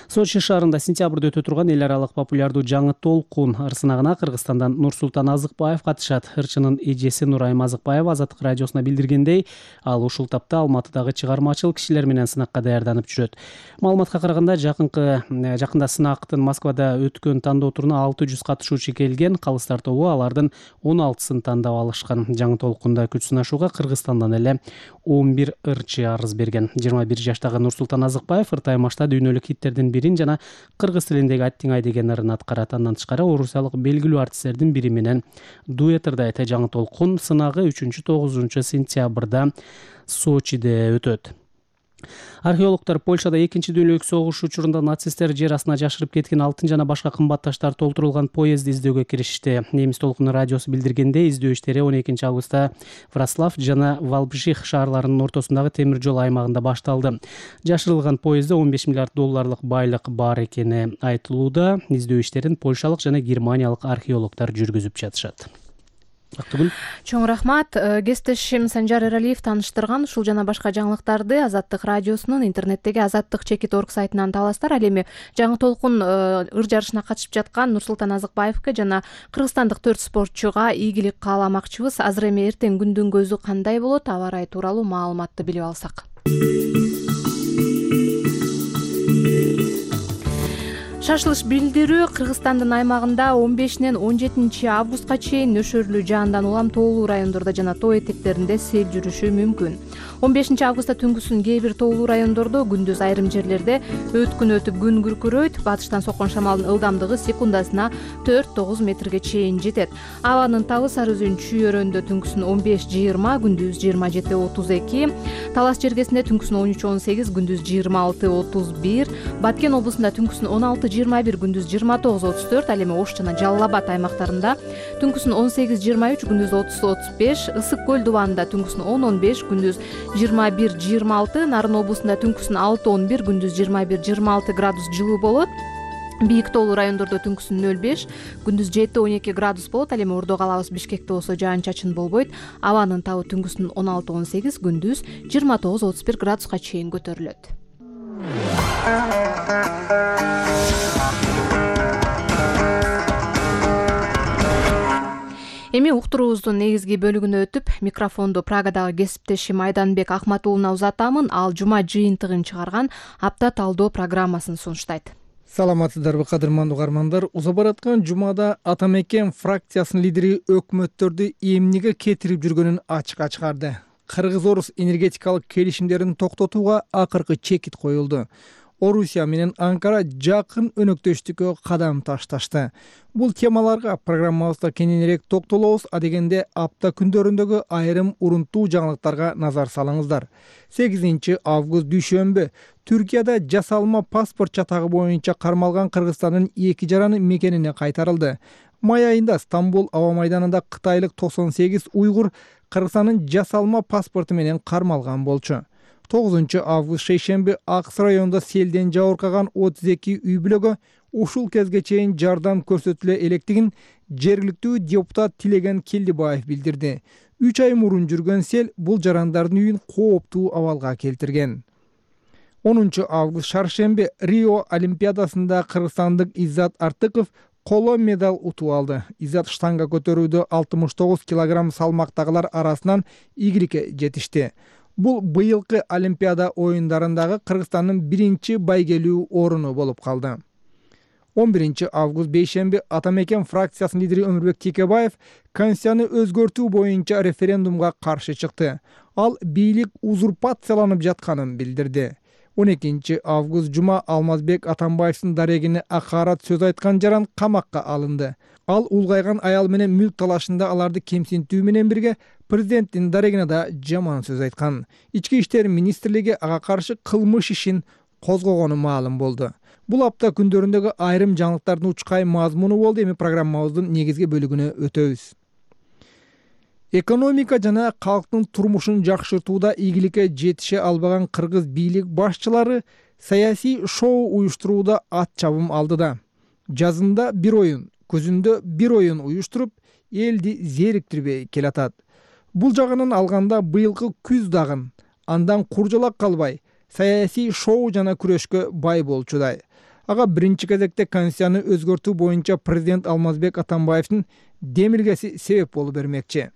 Сочи шаарында сентябрда өтө турган эл аралык популярдуу жаңы толкун ырсынагына Кыргызстандан Нурсултан Азыкбаев катышат. Ырчынын эжеси Нурайым Азыкбаева Азаттык радиосуна билдиргендей, ал ушул тапта Алматыдагы чыгармачыл кишилер менен сынакка даярданып жүрөт. Маалыматка караганда, жакынкы жакында сынактын Москвада өткөн тандоо туруна алты жүз катышуучу келген. Калыстар тобу алардын он алтысын тандап алышкан. Жаңы толкунда күч сынашууга Кыргызстандан эле он бир ырчы арыз берген. жыйырма бир жаштагы Нурсултан Азыкбаев ыр таймашта дүйнөлүк хиттердин бирин жана кыргыз тилиндеги Аттиңай деген ырын аткарат. Андан тышкары орусиялык белгилүү артисттердин бири менен дуэт ырдайт. Жаңы толкун сынагы үчүнчү тогузунчу сентябрда Сочиде өтөт. Археологдор Польшада экинчи дүйнөлүк согуш учурунда нацисттер жер астына жашырып кеткен алтын жана башка кымбат таштар толтурулган поездди издөөгө киришти. Немис толкуну радиосу билдиргендей, издөө иштери он экинчи августта Вроцлав жана Валбжих шаарларынын ортосундагы темир жол аймагында башталды. Жашырылган поездде он беш миллиард долларлык байлык бар экени айтылууда. Издөө иштерин польшалык жана германиялык археологдор жүргүзүп жатышат. Чоң рахмат. Кесиптешим Санжар Эралиев тааныштырган ушул жана башка жаңылыктарды Азаттык радиосунун интернеттеги азаттык чекит орг сайтынан табасыздар. Ал эми жаңы толкун ыр жарышына катышып жаткан Нурсултан Азыкбаевке жана кыргызстандык төрт спортчуга ийгилик кааламакчыбыз. Азыр эми эртең күндүн көзү кандай болот, аба ырайы тууралуу маалыматты билип алсак. Шашылыш билдирүү Кыргызстандын аймагында он бешинен он жетинчи августка чейин нөшөрлүү жаандан улам тоолуу райондордо жана тоо этектеринде сел жүрүшү мүмкүн. он бешинчи августта түнгүсүн кээ бир тоолуу райондордо, күндүз айрым жерлерде өткүн өтүп күн күркүрөйт. Батыштан соккон шамалдын ылдамдыгы секундасына төрт тогуз метрге чейин жетет. Абанын табы Сары Өзөн чүйөрөндө түнгүсүн он беш жыйырма, күндүз жыйырма жети отуз эки, Талас жергесинде түнгүсүн он үч он сегиз, күндүз жыйырма алты отуз бир, Баткен облусунда түнгүсүн он алты жыйырма бир, күндүз жыйырма тогуз отуз төрт, ал эми Ош жана Жалал Абад аймактарында түнгүсүн он сегиз жыйырма үч, күндүз отуз отуз беш, Ысык көл дубанында түнгүсүн он он беш, күндүз жыйырма бир жыйырма алты, Нарын облусунда түнгүсүн алты он бир, күндүз жыйырма бир жыйырма алты градус жылуу болот. Бийик тоолуу райондордо түнгүсүн нөл беш, күндүз жети он эки градус болот. Ал эми Ордо калабыз Бишкекте болсо жаан чачын болбойт. Абанын табы түнгүсүн он алты он сегиз, күндүз жыйырма тогуз отуз бир градуска чейин көтөрүлөт. Эми уктуруубуздун негизги бөлүгүнө өтүп, микрофонду Прагадагы кесиптешим Айданбек Акматуулуна узатамын. Ал жума жыйынтыгын чыгарган апта талдоо программасын сунуштайт. Саламатсыздарбы, кадырмандуу угармандар. Уза бараткан жумада Ата Мекен фракциясынын лидери өкмөттөрдү эмнеге кетирип жүргөнүн ачыкка чыгарды. Кыргыз-орус энергетикалык келишимдерин токтотууга акыркы чекит коюлду. Орусия менен Анкара жакын өнөктөштүккө кадам ташташты. Бул темаларга программабызда кененирээк токтолобуз, адегенде апта күндөрүндөгү айрым урунтуу жаңылыктарга назар салыңыздар. сегизинчи август дүйшөмбү Түркияда жасалма паспорт чатагы боюнча кармалган Кыргызстандын эки жараны мекенине кайтарылды. Май айында Стамбул аба майданында кытайлык токсон сегиз уйгур Кыргызстандын жасалма паспорту менен кармалган болчу. тогузунчу август шейшемби Аксы районунда селден жабыркаган отуз эки үй бүлөгө ушул кезге чейин жардам көрсөтүлө электигин жергиликтүү депутат Тилеген Келдибаев билдирди. үч ай мурун жүргөн сел бул жарандардын үйүн кооптуу абалга келтирген. онунчу август шаршемби Рио Олимпиадасында кыргызстандык Иззат Артыков коло медаль утуп алды. Иззат штанга көтөрүүдө алтымыш тогуз килограмм салмактагылар арасынан ийгиликке жетишти. Бул быйылкы Олимпиада оюндарындагы Кыргызстандын биринчи байгелүү оруну болуп калды. он биринчи август бейшемби Атамекен фракциясынын лидери Өмүрбек Текебаев Конституцияны өзгөртүү боюнча референдумга каршы чыкты. Ал бийлик узурпацияланып жатканын билдирди. он экинчи август жума Алмазбек Атамбаевдин дарегине акарат сөз айткан жаран камакка алынды. Ал улгайган аял менен мүлк талашында аларды кемсинтүү менен бирге президенттин дарегине да жаман сөз айткан. Ички иштер министрлиги ага каршы кылмыш ишин козгогону маалым болду. Бул апта күндөрүндөгү айрым жаңылыктардын учкай мазмуну болду. Эми программабыздын негизги бөлүгүнө өтөбүз. Экономика жана калктын турмушун жакшыртууда ийгиликке жетише албаган кыргыз бийлик башчылары саясий шоу уюштурууда ат чабым алды да. Жазында бир оюн, көзүндө бир оюн уюштуруп, элди зериктирбей келатат. Бул жагынан алганда быйылкы күз дагы андан куржалак калбай саясий шоу жана күрөшкө бай болчудай. Ага биринчи кезекте Конституцияны өзгөртүү боюнча президент Алмазбек Атамбаевдин демилгеси себеп болуп бермекчи.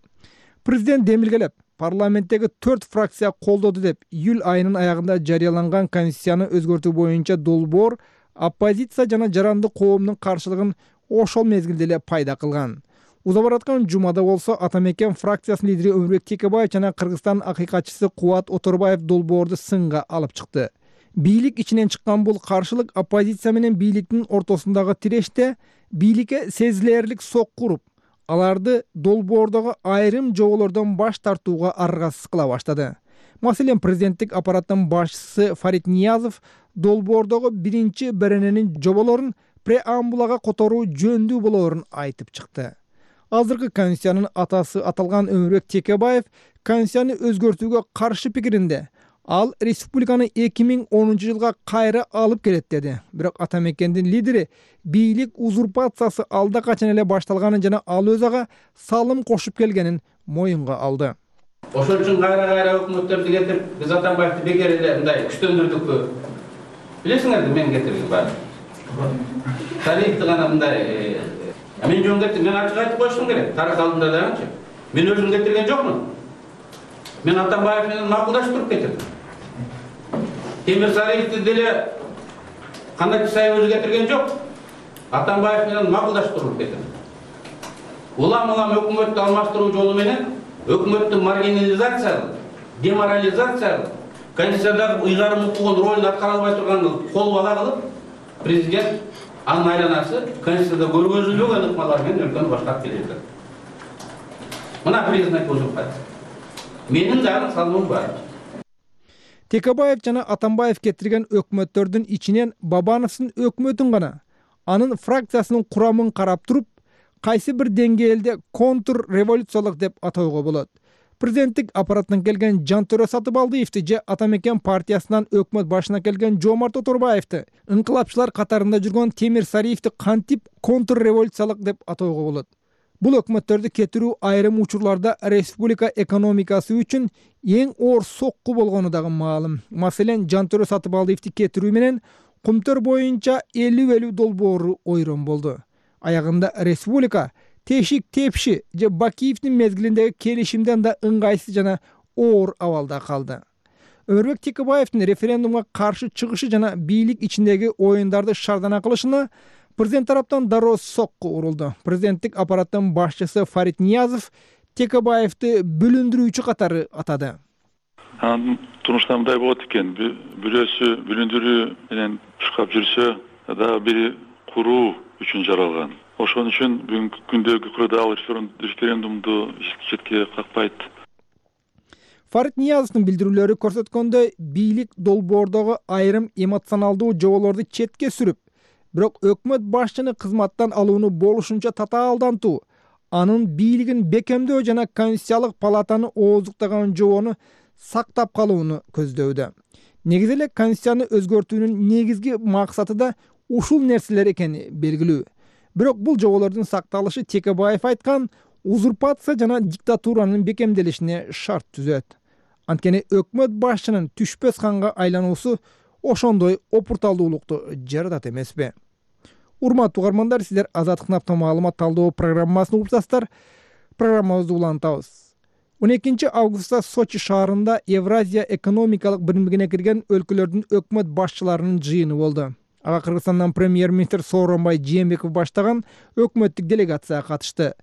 Президент демилгелеп, парламенттеги төрт фракция колдоду деп июль айынын аягында жарыяланган Конституцияны өзгөртүү боюнча долбоор оппозиция жана жаранды коомдун каршылыгын ошол мезгилде эле пайда кылган. Уза бараткан жумада болсо Атамекен фракциясынын лидери Өмүрбек Текебаев жана Кыргызстан акыйкатчысы Кубат Оторбаев долбоорду сынга алып чыкты. Бийлик ичинен чыккан бул каршылык оппозиция менен бийликтин ортосундагы тиреште бийликке сезилерлик сокку уруп, аларды долбоордогу айрым жоболордон баш тартууга аргасыз кыла баштады. Маселен, президенттик аппараттын башчысы Фарид Ниязов долбоордогу биринчи берененин жоболорун преамбулага которуу жөндүү болоорун айтып чыкты. Азыркы Конституциянын атасы аталган Өмүрбек Текебаев Конституцияны өзгөртүүгө каршы пикиринде. Ал республиканы эки миң онунчу жылга кайра алып келет деди. Бирок Атамекендин лидери бийлик узурпациясы алда качан эле башталганын жана ал өз ага салым кошуп келгенин моюнга алды. Ошон үчүн кайра-кайра өкмөттөрдү кетирип, биз Атамбаевди бекер эле мындай күчтөндүрдүкпү? Билесиңерби мен кетирген баары. Тарихты гана мындай мен жөн кетти, мен ачык айтып коюшум керек. Тарих алдында дагычы. Мен өзүм кетирген жокмун. Мен Атамбаев менен макулдаштырып кетирдим. Темир Сариевди деле Канат Исаев өзү кетирген жок. Атамбаев менен макулдаштырып кетирдим. Улам-улам өкмөттү алмаштыруу жолу менен өкмөттү маргинализациялап, деморализациялап, Конституциядагы ыйгарым укугун ролун аткара албай турганын кол бала кылып, президент анын айланасы Конституцияда көргөзүлбөгөн ыкмалар менен өлкөнү баштап келет. Мына признак узурпация. Менин дагы салымым бар. Текебаев жана Атамбаев кетирген өкмөттөрдүн ичинен Бабановдун өкмөтүн гана, анын фракциясынын курамын карап туруп, кайсы бир деңгээлде контр революциялык деп атоого болот. Президенттик аппараттан келген Жантөрө Сатыбалдиевди же Атамекен партиясынан өкмөт башына келген Жомарт Оторбаевди, ыңкылапчылар катарында жүргөн Темир Сариевди кантип контр революциялык деп атоого болот? Бул өкмөттөрдү кетирүү айрым учурларда республика экономикасы үчүн эң оор сокку болгону дагы маалым. Маселен, Жантөрө Сатыбалдиевди кетирүү менен Кумтөр боюнча элүү элүү долбоору ойрон болду. Аягында республика тешик тепши же Бакиевдин мезгилиндеги келишимден да ыңгайсыз жана оор абалда калды. Өмүрбек Текебаевдин референдумга каршы чыгышы жана бийлик ичиндеги оюндарды шардана кылышына президент тараптан дароо сокку урулду. Президенттик аппараттын башчысы Фарид Ниязов Текебаевди бүлүндүрүүчү катары атады. Анын турмушта мындай болот экен, бирөөсү бүлүндүрүү менен чуркап жүрсө, дагы бири куруу үчүн жаралган. Ошон үчүн бүгүнкү күндөгү курда ал референдумду четке какпайт. Фарид Ниязовдун билдирүүлөрү көрсөткөндөй, бийлик долбоордогу айрым эмоционалдуу жоболорду четке сүрүп, бирок өкмөт башчыны кызматтан алууну болушунча татаалдантуу, анын бийлигин бекемдөө жана Конституциялык палатаны ооздуктаган жобону сактап калууну көздөүүдө. Негизи эле Конституцияны өзгөртүүнүн негизги максаты да ушул нерселер экени белгилүү. Бирок бул жоболордун сакталышы Текебаев айткан узурпация жана диктатуранын бекемделишине шарт түзөт. Анткени өкмөт башчынын түшпөс ханга айлануусу ошондой опурталдуулукту жаратат эмеспи? Урматтуу угармандар, сиздер Азаттыктын апта маалымат талдоо программасын угуп программабызды улантабыз. он экинчи августта Сочи шаарында Евразия экономикалык биримдигине кирген өлкөлөрдүн өкмөт башчыларынын жыйыны болду. Ага Кыргызстандан премьер-министр Сооронбай Жээнбеков баштаган өкмөттүк делегация катышты.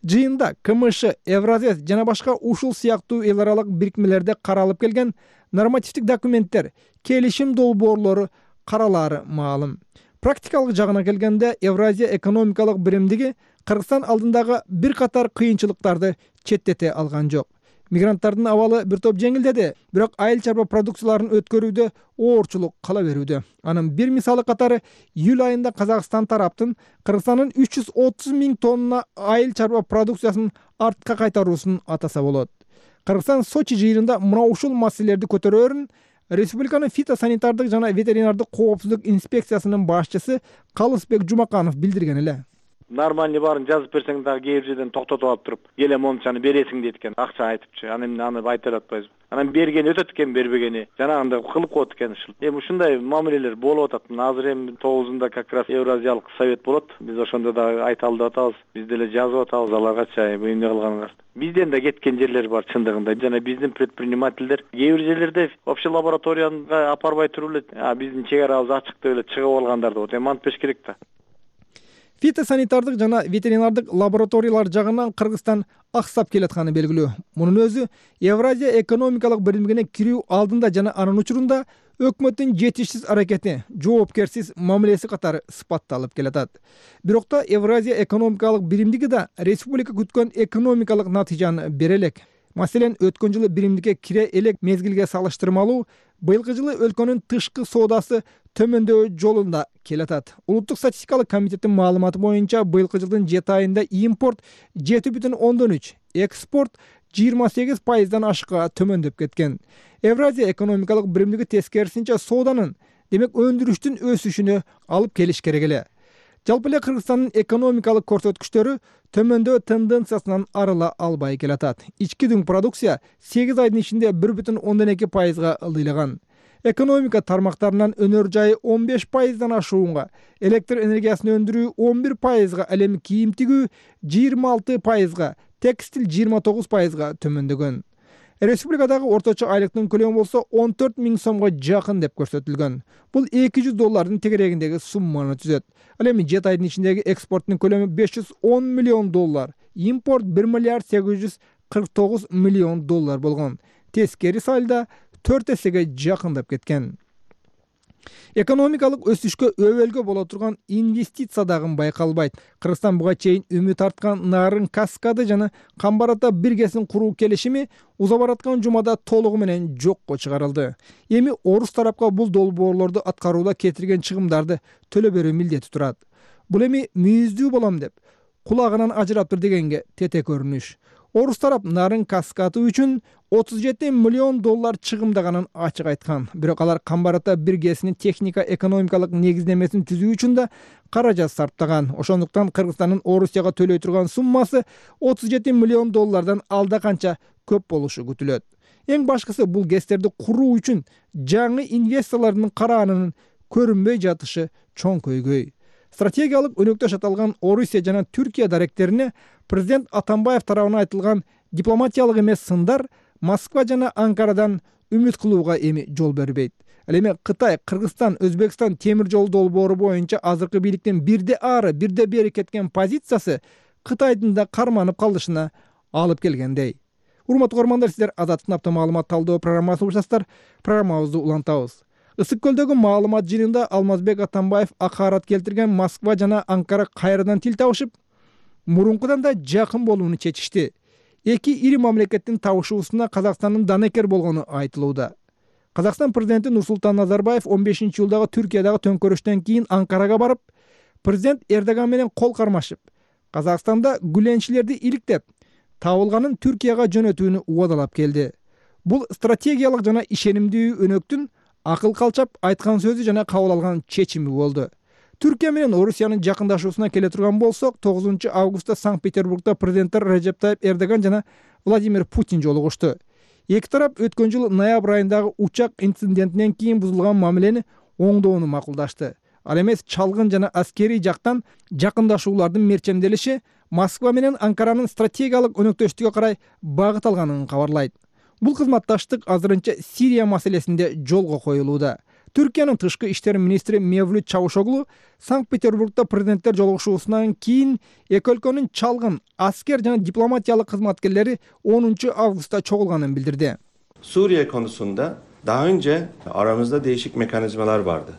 Жыйында КМШ, Евразия жана башка ушул сыяктуу эл аралык бирикмелерде каралып келген нормативдик документтер, келишим долбоорлору каралаары маалым. Практикалык жагына келгенде Евразия экономикалык биримдиги Кыргызстан алдындагы бир катар кыйынчылыктарды четтете алган жок. Мигранттардын абалы бир топ жеңилдеди, бирок айыл чарба продукцияларын өткөрүүдө оорчулук кала берүүдө. Анын бир мисалы катары июль айында Казакстан тараптын Кыргызстандын үч жүз отуз миң тонна айыл чарба продукциясын артка кайтаруусун атаса болот. Кыргызстан Сочи жыйынында мына ушул маселелерди көтөрөөрүн Республиканын фитосанитардык жана ветеринардык коопсуздук инспекциясынын башчысы Калысбек Жумаканов билдирген эле. Нормальный баарын жазып берсең дагы кээ бир жерден токтотуп алып туруп, келе мончаны бересиң дейт экен, акча айтыпчы. Анан аны айта алатпайбыз. Анан бергени өтөт экен, бербегени жанагындай кылып коет экен ушул. Эми ушундай мамилелер болуп атат. Азыр эми тогузунда как раз Евразиялык совет болот. Биз ошондо дагы айталы деп атабыз. Биз деле жазып атабыз аларгача эмне кылганыңар. Бизден да кеткен жерлер бар чындыгында. Жана биздин предпринимательдер кээ бир жерлерде вообще лабораторияга апарбай туруп эле, а биздин чек арабыз ачык деп эле чыгып алгандар да. Эми антпеш керек да. Фитосанитардык жана ветеринардык лабораториялар жагынан Кыргызстан аксап келатканы белгилүү. Мунун өзү Евразия экономикалык биримдигине кирүү алдында жана анын учурунда өкмөттүн жетишсиз аракети, жоопкерсиз мамилеси катары сыпатталып келатат. Бирок да Евразия экономикалык биримдиги да республика күткөн экономикалык натыйжаны бере элек. Маселен, өткөн жылы биримдикке кире элек мезгилге салыштырмалуу быйылкы жылы өлкөнүн тышкы соодасы төмөндөө жолунда келатат. Улуттук статистикалык комитеттин маалыматы боюнча быйылкы жылдын жети айында импорт жети бүтүн ондон үч, экспорт жыйырма сегиз пайыздан ашыкка төмөндөп кеткен. Евразия экономикалык биримдиги тескерисинче сооданын, демек өндүрүштүн өсүшүнө алып келиш керек эле. Жалпы эле Кыргызстандын экономикалык көрсөткүчтөрү төмөндөө тенденциясынан арыла албай келатат. Ички дүң продукция сегиз айдын ичинде бир бүтүн ондон эки пайызга ылдыйлаган. Экономика тармактарынан өнөр жайы он беш пайыздан ашуунга, электр энергиясын өндүрүү он бир пайызга, ал эми кийим тигүү жыйырма алты пайызга, текстиль жыйырма тогуз пайызга төмөндөгөн. Республикадагы орточо айлыктын көлөмү болсо он төрт миң сомго жакын деп көрсөтүлгөн. Бул эки жүз доллардын тегерегиндеги сумманы түзөт. Ал эми жети айдын ичиндеги экспорттун көлөмү беш жүз он миллион доллар, импорт бир миллиард сегиз жүз кырк тогуз миллион доллар болгон. Тескери салда төрт эсеге жакындап кеткен. Экономикалык өсүшкө өбөлгө боло турган инвестиция дагы байкалбайт. Кыргызстан буга чейин үмүт арткан нарын каскады жана Камбарата биргесин куруу келишими уза бараткан жумада толугу менен жокко чыгарылды. Эми орус тарапка бул долбоорлорду аткарууда кетирген чыгымдарды төлөп берүү милдети турат. Бул эми мүйүздүү болом деп кулагынан ажыраптыр дегенге тете көрүнүш. Орус тарап нарын каскаты үчүн отуз жети миллион доллар чыгымдаганын ачык айткан. Бирок алар Камбарата биргесинин техника экономикалык негиздемесин түзүү үчүн да каражат сарптаган. Ошондуктан Кыргызстандын Орусияга төлөй турган суммасы отуз жети миллион доллардан алда канча көп болушу күтүлөт. Эң башкысы бул гэстерди куруу үчүн жаңы инвесторлордун караанынын көрүнбөй жатышы чоң көйгөй. Стратегиялык өнөктөш аталган Орусия жана Түркия даректерине президент Атамбаев тарабынан айтылган дипломатиялык эмес сындар Москва жана Анкарадан үмүт кылууга эми жол бербейт. Ал эми Кытай, Кыргызстан, Өзбекстан темир жол долбоору боюнча азыркы бийликтин бирде ары, бирде бери кеткен позициясы Кытайдын да карманып калышына алып келгендей. Урматтуу угармандар, сиздер Азаттыктын апта маалымат талдоо программасын угушасыздар. Программабызды улантабыз. Ысык көлдөгү маалымат жыйынында Алмазбек Атамбаев акарат келтирген Москва жана Анкара кайрадан тил табышып, мурункудан да жакын болууну чечишти. Эки ири мамлекеттин табышуусуна Казакстандын данекер болгону айтылууда. Казакстан президенти Нурсултан Назарбаев он бешинчи жылдагы Түркиядагы төңкөрүштөн кийин Анкарага барып, президент Эрдоган менен кол кармашып, Казакстанда гүленчилерди иликтеп, табылганын Түркияга жөнөтүүнү убадалап келди. Бул стратегиялык жана ишенимдүү өнөктүн акыл калчап айткан сөзү жана кабыл алган чечими болду. Түркия менен Орусиянын жакындашуусуна келе турган болсок, тогузунчу августта Санкт-Петербургда президенттер Режеп Тайип Эрдоган жана Владимир Путин жолугушту. Эки тарап өткөн жыл ноябрь айындагы учак инцидентинен кийин бузулган мамилени оңдоону макулдашты. Ал эмес чалгын жана аскерий жактан жакындашуулардын мерчемделиши Москва менен Анкаранын стратегиялык өнөктөштүгү карай багыт алганын кабарлайт. Бул кызматташтык азырынча Сирия маселесинде жолго коюлууда. Түркиянын тышкы иштер министри Мевлют Чавушоглу Санкт-Петербургда президенттер жолугушуусунан кийин эки өлкөнүн чалгын аскер жана дипломатиялык кызматкерлери онунчу августта чогулганын билдирди. Suriye konusunda daha önce aramızda değişik mekanizmalar vardı.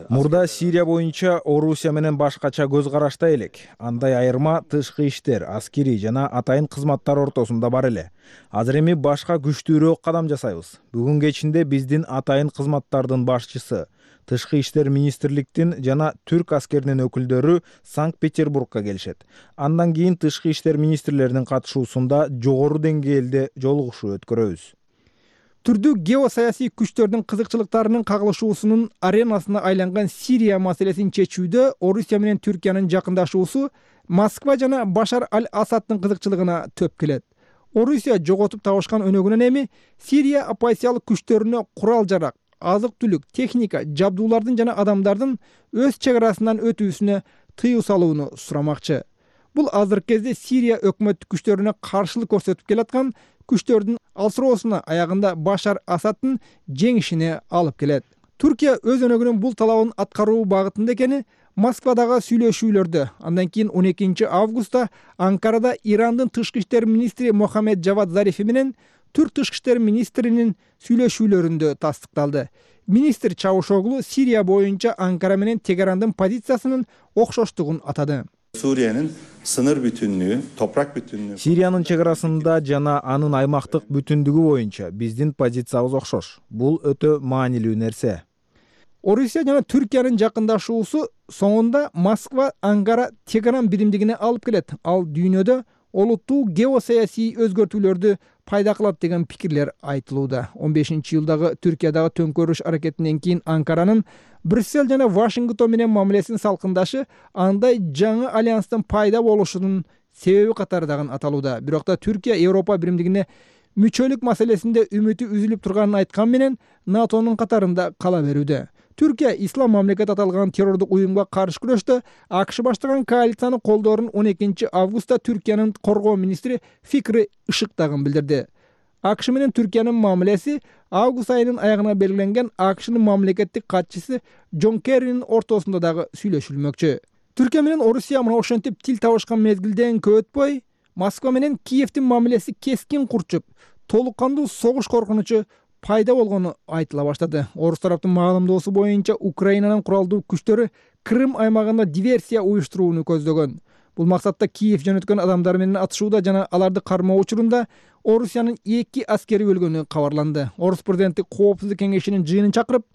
Мурда Сирия боюнча Орусия менен башкача көз карашта элек. Андай айырма тышкы иштер, аскерий жана атайын кызматтар ортосунда бар эле. Азыр эми башка күчтүүрөөк кадам жасайбыз. Бүгүн кечинде биздин атайын кызматтардын башчысы, тышкы иштер министрликтин жана түрк аскеринин өкүлдөрү Санкт-Петербургка келишет. Андан кийин тышкы иштер министрлеринин катышуусунда жогору деңгээлде жолугушуу өткөрөбүз. Түрдүү геосаясий күчтөрдүн кызыкчылыктарынын кагылышуусунун аренасына айланган Сирия маселесин чечүүдө Орусия менен Түркиянын жакындашуусу Москва жана Башар аль-Асаддын кызыкчылыгына төп келет. Орусия жоготуп табышкан өнөгүнөн эми Сирия оппозициялык күчтөрүнө курал-жарак, азык-түлүк, техника, жабдуулардын жана адамдардын өз чек арасынан өтүүсүнө тыюу салууну сурамакчы. Бул азыркы кезде Сирия өкмөттүк күчтөрүнө каршылык көрсөтүп келаткан күчтөрдүн алсыроосуна аягында Башар Асаддын жеңишине алып келет. Түркия өз өнөгүнүн бул талабын аткаруу багытында экени Москвадагы сүйлөшүүлөрдө, андан кийин он экинчи августта Анкарада Ирандын тышкы иштер министри Мохаммед Джавад Зарифи менен түрк тышкы иштер министринин сүйлөшүүлөрүндө тастыкталды. Министр Чавушоглу Сирия боюнча Анкара менен Тегерандын позициясынын окшоштугун атады. Suriye'nin sınır bütünlüğü, toprak bütünlüğü. Сириянын чек арасында жана анын аймактык бүтүндүгү боюнча биздин позициябыз окшош. Бул өтө маанилүү нерсе. Орусия жана Түркиянын жакындашуусу соңунда Москва Анкара Тегеран биримдигине алып келет. Ал дүйнөдө олуттуу геосаясий өзгөртүүлөрдү пайда кылат деген пикирлер айтылууда. он бешинчи жылдагы Түркиядагы төңкөрүш аракетинен кийин Анкаранын Брюссель жана Вашингтон менен мамилесин салкындашы андай жаңы альянстын пайда болушунун себеби катарындагы аталууда. Бирок да Түркия Европа биримдигине мүчөлүк маселесинде үмүтү үзүлүп турганын айткан менен НАТОнун катарында кала берүүдө. Түркия ислам мамлекет аталган террордук уюмга каршы күрөштө АКШ баштаган коалицияны колдоорун он экинчи августта Түркиянын коргоо министри Фикри Ишыктагын билдирди. АКШ менен Түркиянын мамилеси август айынын аягына белгиленген АКШнын мамлекеттик катчысы Джон Керринин ортосунда дагы сүйлөшүлмөкчү. Түркия менен Орусия мына ошентип тил табышкан мезгилден көп өтпөй Москва менен Киевдин мамилеси кескин курчуп, толук кандуу согуш коркунучу пайда болгону айтыла баштады. Орус тараптын маалымдоосу боюнча Украинанын куралдуу күчтөрү Крым аймагында диверсия уюштурууну көздөгөн. Бул максатта Киев жөнөткөн адамдар менен атышууда жана аларды кармоо учурунда Орусиянын эки аскери өлгөнү кабарланды. Орус президенти Коопсуздук кеңешинин жыйынын чакырып,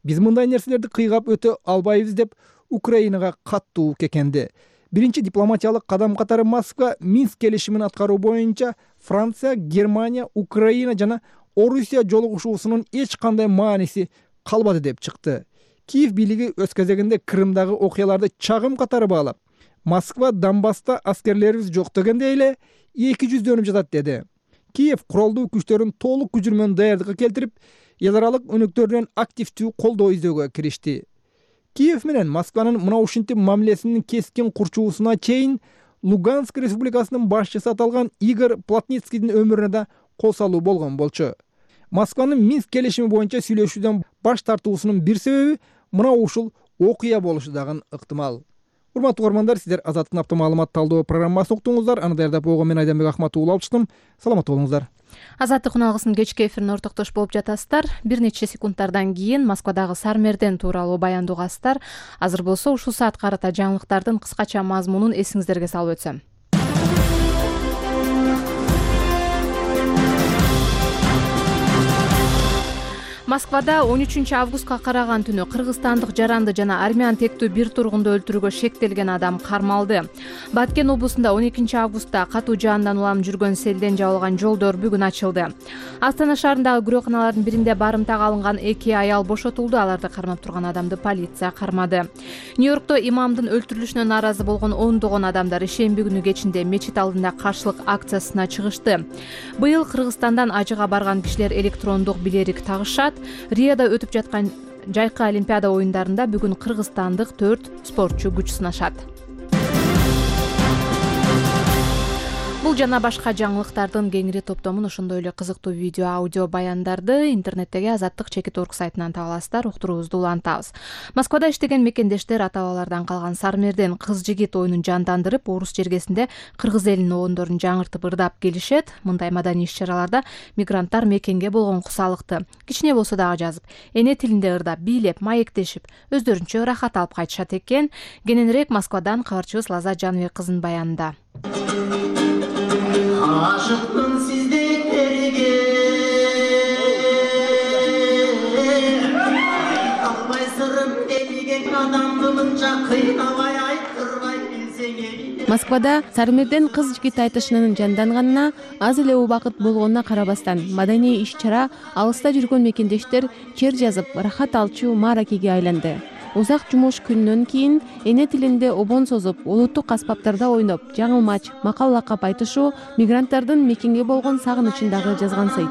биз мындай нерселерди кыйгап өтө албайбыз деп Украинага каттуу кекенди. Биринчи дипломатиялык кадам катары Москва Минск келишимин аткаруу боюнча Франция, Германия, Украина жана Орусия жолугушуусунун эч кандай мааниси калбады деп чыкты. Киев бийлиги өз кезегинде Крымдагы окуяларды чагым катары баалап, Москва Донбасста аскерлерибиз жок дегенде эле эки жүздөнүп жатат деди. Киев куралдуу күчтөрүн толук күчү менен даярдыкка келтирип, эл аралык өнөктөрдөн активдүү колдоо издөөгө киришти. Киев менен Москванын мына ушинтип мамилесинин кескин курчуусуна чейин Луганск республикасынын башчысы аталган Игорь Плотницкийдин өмүрүнө да кол салуу болгон болчу. Москванын Минск келишими боюнча сүйлөшүүдөн баш тартуусунун бир себеби мына ушул окуя болушу дагы ыктымал. Урматтуу угармандар, сиздер Азаттык автомаалымат талдоо программасын уктуңуздар. Аны даярдап койгон мен Айданбек Ахматуулу алып чыктым. Саламатта болуңуздар. Азаттык уналгысынын кечки эфирине ортоктош болуп жатасыздар. Бир нече секундтардан кийин Москвадагы Сармерден тууралуу баяндоогасыздар. Азыр болсо ушул саат карата жаңылыктардын кыскача мазмунун эсиңиздерге салып өтсөм. Москвада он үчүнчү августка караган түнү кыргызстандык жаранды жана армян тектүү бир тургунду өлтүрүүгө шектелген адам кармалды. Баткен облусунда он экинчи августта катуу жаандан улам жүргөн селден жабылган жолдор бүгүн ачылды. Астана шаарындагы күрөканалардын биринде барымтага алынган эки аял бошотулду. Аларды кармап турган адамды полиция кармады. Нью-Йоркто имамдын өлтүрүлүшүнө нааразы болгон ондогон адамдар ишемби күнү кечинде мечит алдында каршылык акциясына чыгышты. Быйыл Кыргызстандан ажыга барган кишилер электрондук билерик тагышат. Риода өтүп жаткан жайкы олимпиада оюндарында бүгүн кыргызстандык төрт спортчу күч сынашат. Бул жана башка жаңылыктардын кеңири топтомун, ошондой эле кызыктуу видео, аудио баяндарды интернеттеги Азаттык чекит орг сайтынан таба аласыздар. Уктуруубузду улантабыз. Москвада иштеген мекендештер ата-бабалардан калган Сармерден кыз-жигит оюнун жандандырып, орус жергесинде кыргыз элинин оондорун жаңыртып ырдап келишет. Мындай маданий иш-чараларда мигранттар мекенге болгон кусалыкты кичине болсо дагы жазып, эне тилинде ырдап, бийлеп, маектешип, өздөрүнчө рахат алып кайтышат экен. Кененирээк Москвадан кабарчыбыз Лаззат Жаныбек кызынын баянында. Aşıktım sizdeylerge Kalbay sırrım deligen adamdımınca kıynavay aytırvay bilsene. Москвада Сармерден кыз-жигит айтышынын жанданганына аз эле убакыт болгонуна карабастан маданий иш-чара алыста жүргөн мекендештер чер жазып, рахат алчу мааракеге айланды. Узак жумуш күнүнөн кийин эне тилинде обон созуп, улуттук аспаптарда ойноп, жаңылмач, макал лакап айтышуу мигранттардын мекенге болгон сагынычын дагы жазгансыйт.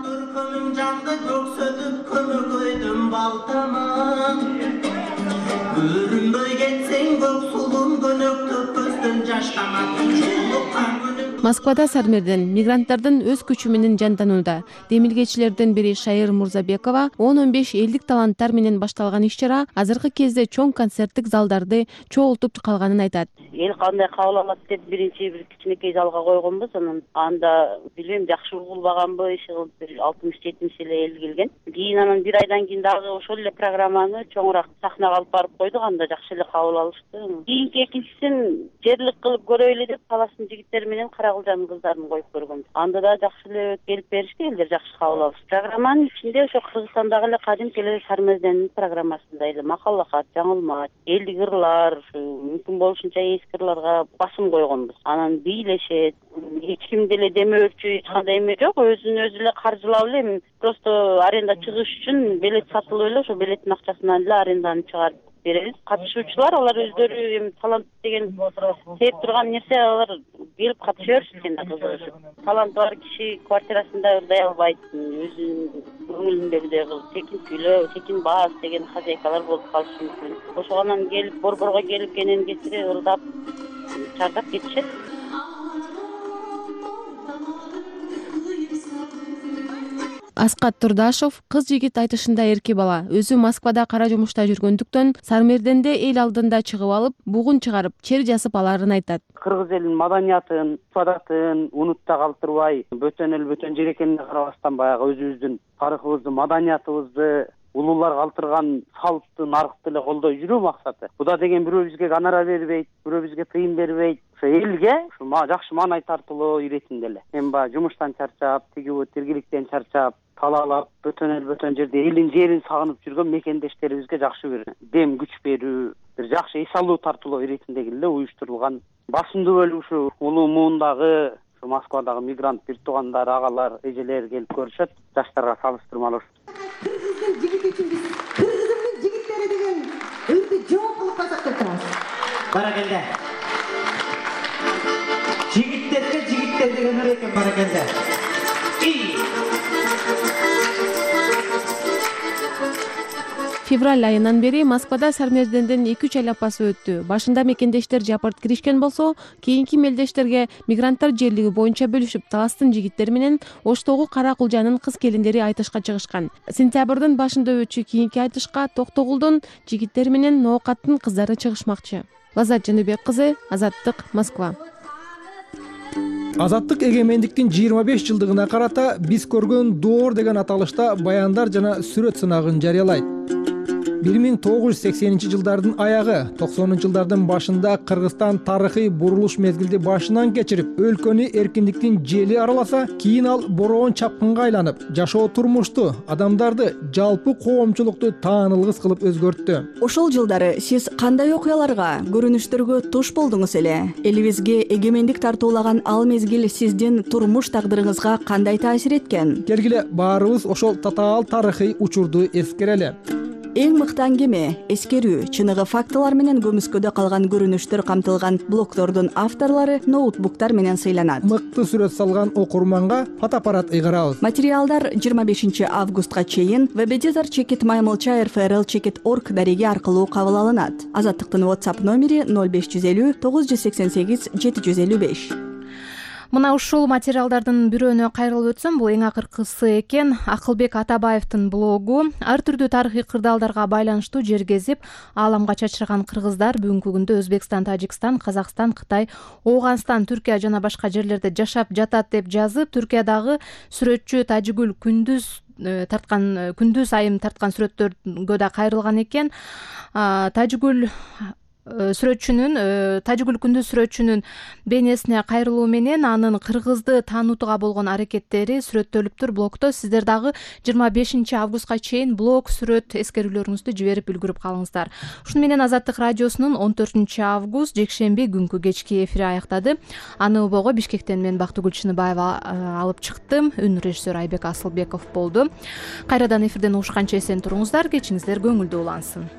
Москвада Сармерден мигранттардын өз күчү менен жанданууда. Демилгечилердин бири Шайыр Мурзабекова он он беш элдик таланттар менен башталган иш-чара азыркы кезде чоң концерттик залдарды чогултуп калганын айтат. Эл кандай кабыл алат деп биринчи бир кичинекей залга койгонбуз. Анан анда билбейм жакшы угулбаганбы, иши кылып бир алтымыш жетимиш эле эл келген. Кийин анан бир айдан кийин дагы ошол эле программаны чоңураак сахнага алып барып койдук. Анда жакшы эле кабыл алышты. Кийинки экинчисин жерлик кылып көрөйлү деп Таластын жигиттери менен Карагылжанын кыздарын коюп көргөнбүз. Анда да жакшы эле келип беришти, элдер жакшы кабыл алышты. Программанын ичинде ошо Кыргызстандагы эле кадимки эле Сармерденин программасында эле макал лакат, жаңылмач, элдик ырлар, мүмкүн болушунча эски ырларга басым койгонбуз. Анан бийлешет, эч ким деле демөөрчү эч кандай эме жок, өзүн өзү эле каржылап эле просто аренда чыгыш үчүн билет сатылып эле ошо билеттин акчасынан эле аренданы чыгарып беребиз. Катышуучулар алар өздөрү эми талант деген сээп турган нерсе, алар келип катыша беришет экен да кызыгышып. Таланты бар киши квартирасында ырдай албайт, өзүнүн көңүлүндөгүдөй кылып текин сүйлөө, текин баас деген хозяйкалар болуп калышы мүмкүн. Ошондон келип борборго келип кенен кетирип ырдап чардап кетишет. Аскат Турдашов кыз-жигит айтышында эрке бала, өзү Москвада кара жумушта жүргөндүктөн Сармерденде эл алдында чыгып алып, бугун чыгарып, чер жазып аларын айтат. Кыргыз элинин маданиятын, адатын унутта калтырбай, бөтөн эл бөтөн жер экенине карабастан баягы өзүбүздүн тарыхыбызды, маданиятыбызды улуулар калтырган салтты, наркты эле колдой жүрүү максаты. Буда деген бирөө бизге гонорар бербейт, бирөө бизге тыйын бербейт. Ошо элге ушу жакшы маанай тартылуу иретинде эле. Эми баягы жумуштан чарчап, тигиби тиргиликтен чарчап, талаалап, бөтөн эл бөтөн жерде элин жерин сагынып жүргөн мекендештерибизге жакшы бир дем күч берүү, бир жакшы эс алуу тартуулоо иретиндеги эле уюштурулган басымдуу бөлүгү ушу улуу муундагы Москвадагы мигрант бир туугандар, агалар, эжелер келип көрүшөт, жаштарга салыштырмалуу. Кыргыздын жигити үчүн биз Кыргыздын жигиттери деген өрдү жооп кылып казак деп турабыз. Баракелде. Жигиттерге жигиттер деген өр экен, баракелде. Февраль айынан бери Москвада Сармерденден эки үч ай апасы өттү. Башында мекендештер жапырт киришкен болсо, кийинки мелдештерге мигранттар жерлиги боюнча бөлүшүп, Таластын жигиттери менен Оштогу Каракылжанын кыз келиндери айтышка чыгышкан. Сентябрдын башында өтчү кийинки айтышка Токтогулдун жигиттери менен Ноокаттын кыздары чыгышмакчы. Лаззат Жаныбек кызы, Азаттык, Москва. Азаттык эгемендиктин жыйырма беш жылдыгына карата биз көргөн доор деген аталышта баяндар жана сүрөт сынагын жарыялайт. бир миң тогуз жүз сексенинчи жылдардын аягы токсонунчу жылдардын башында Кыргызстан тарыхый бурулуш мезгилди башынан кечирип, өлкөнү эркиндиктин жели араласа, кийин ал бороон чапкынга айланып, жашоо турмушту, адамдарды, жалпы коомчулукту таанылгыс кылып өзгөрттү. Ошол жылдары сиз кандай окуяларга, көрүнүштөргө туш болдуңуз эле? Элибизге эгемендик тартуулаган ал мезгил сиздин турмуш тагдырыңызга кандай таасир эткен? Келгиле баарыбыз ошол татаал тарыхый учурду эскерели. Эң мыкты аңгеме, эскерүү, чыныгы фактылар менен көмүскөдө калган көрүнүштөр камтылган блогдордун авторлору ноутбуктар менен сыйланат. Мыкты сүрөт салган окурманга фотоаппарат ыйгарабыз. Материалдар жыйырма бешинчи августка чейин веб-эдитор чекит маймылча эр эф эр эл чекит орг дареги аркылуу кабыл алынат. Азаттыктын WhatsApp номери ноль беш жүз элүү тогуз жүз сексен сегиз жети жүз элүү беш. Мына ушул материалдардын бирөөнө кайрылып өтсөм, бул эң акыркысы экен. Акылбек Атабаевдин блогу. Ар түрдүү тарыхый кырдаалдарга байланыштуу жер кезип, ааламга чачырган кыргыздар бүгүнкү күндө Өзбекстан, Тажикстан, Казакстан, Кытай, Ооганстан, Түркия жана башка жерлерде жашап жатат деп жазып, Түркиядагы сүрөтчү Тажигүл Күндүз тарткан Күндүз айым тарткан сүрөттөргө да кайрылган экен. Тажигүл сүрөтчүнүн Тажигүл Күндүз сүрөтчүнүн бейнесине кайрылуу менен анын кыргызды таанутууга болгон аракеттери сүрөттөлүптүр блогдо. Сиздер дагы жыйырма бешинчи августка чейин блог, сүрөт эскерүүлөрүңүздү жиберип үлгүрүп калыңыздар. Ушуну менен Азаттык радиосунун он төртүнчү август жекшемби күнкү кечки эфири аяктады. Аны убого Бишкектен мен Бактыгүл Чыныбаева алып чыктым. Үн режиссер Айбек Асылбеков болду. Кайрадан эфирден угушканча эсен туруңуздар, кечиңиздер көңүлдүү улансын.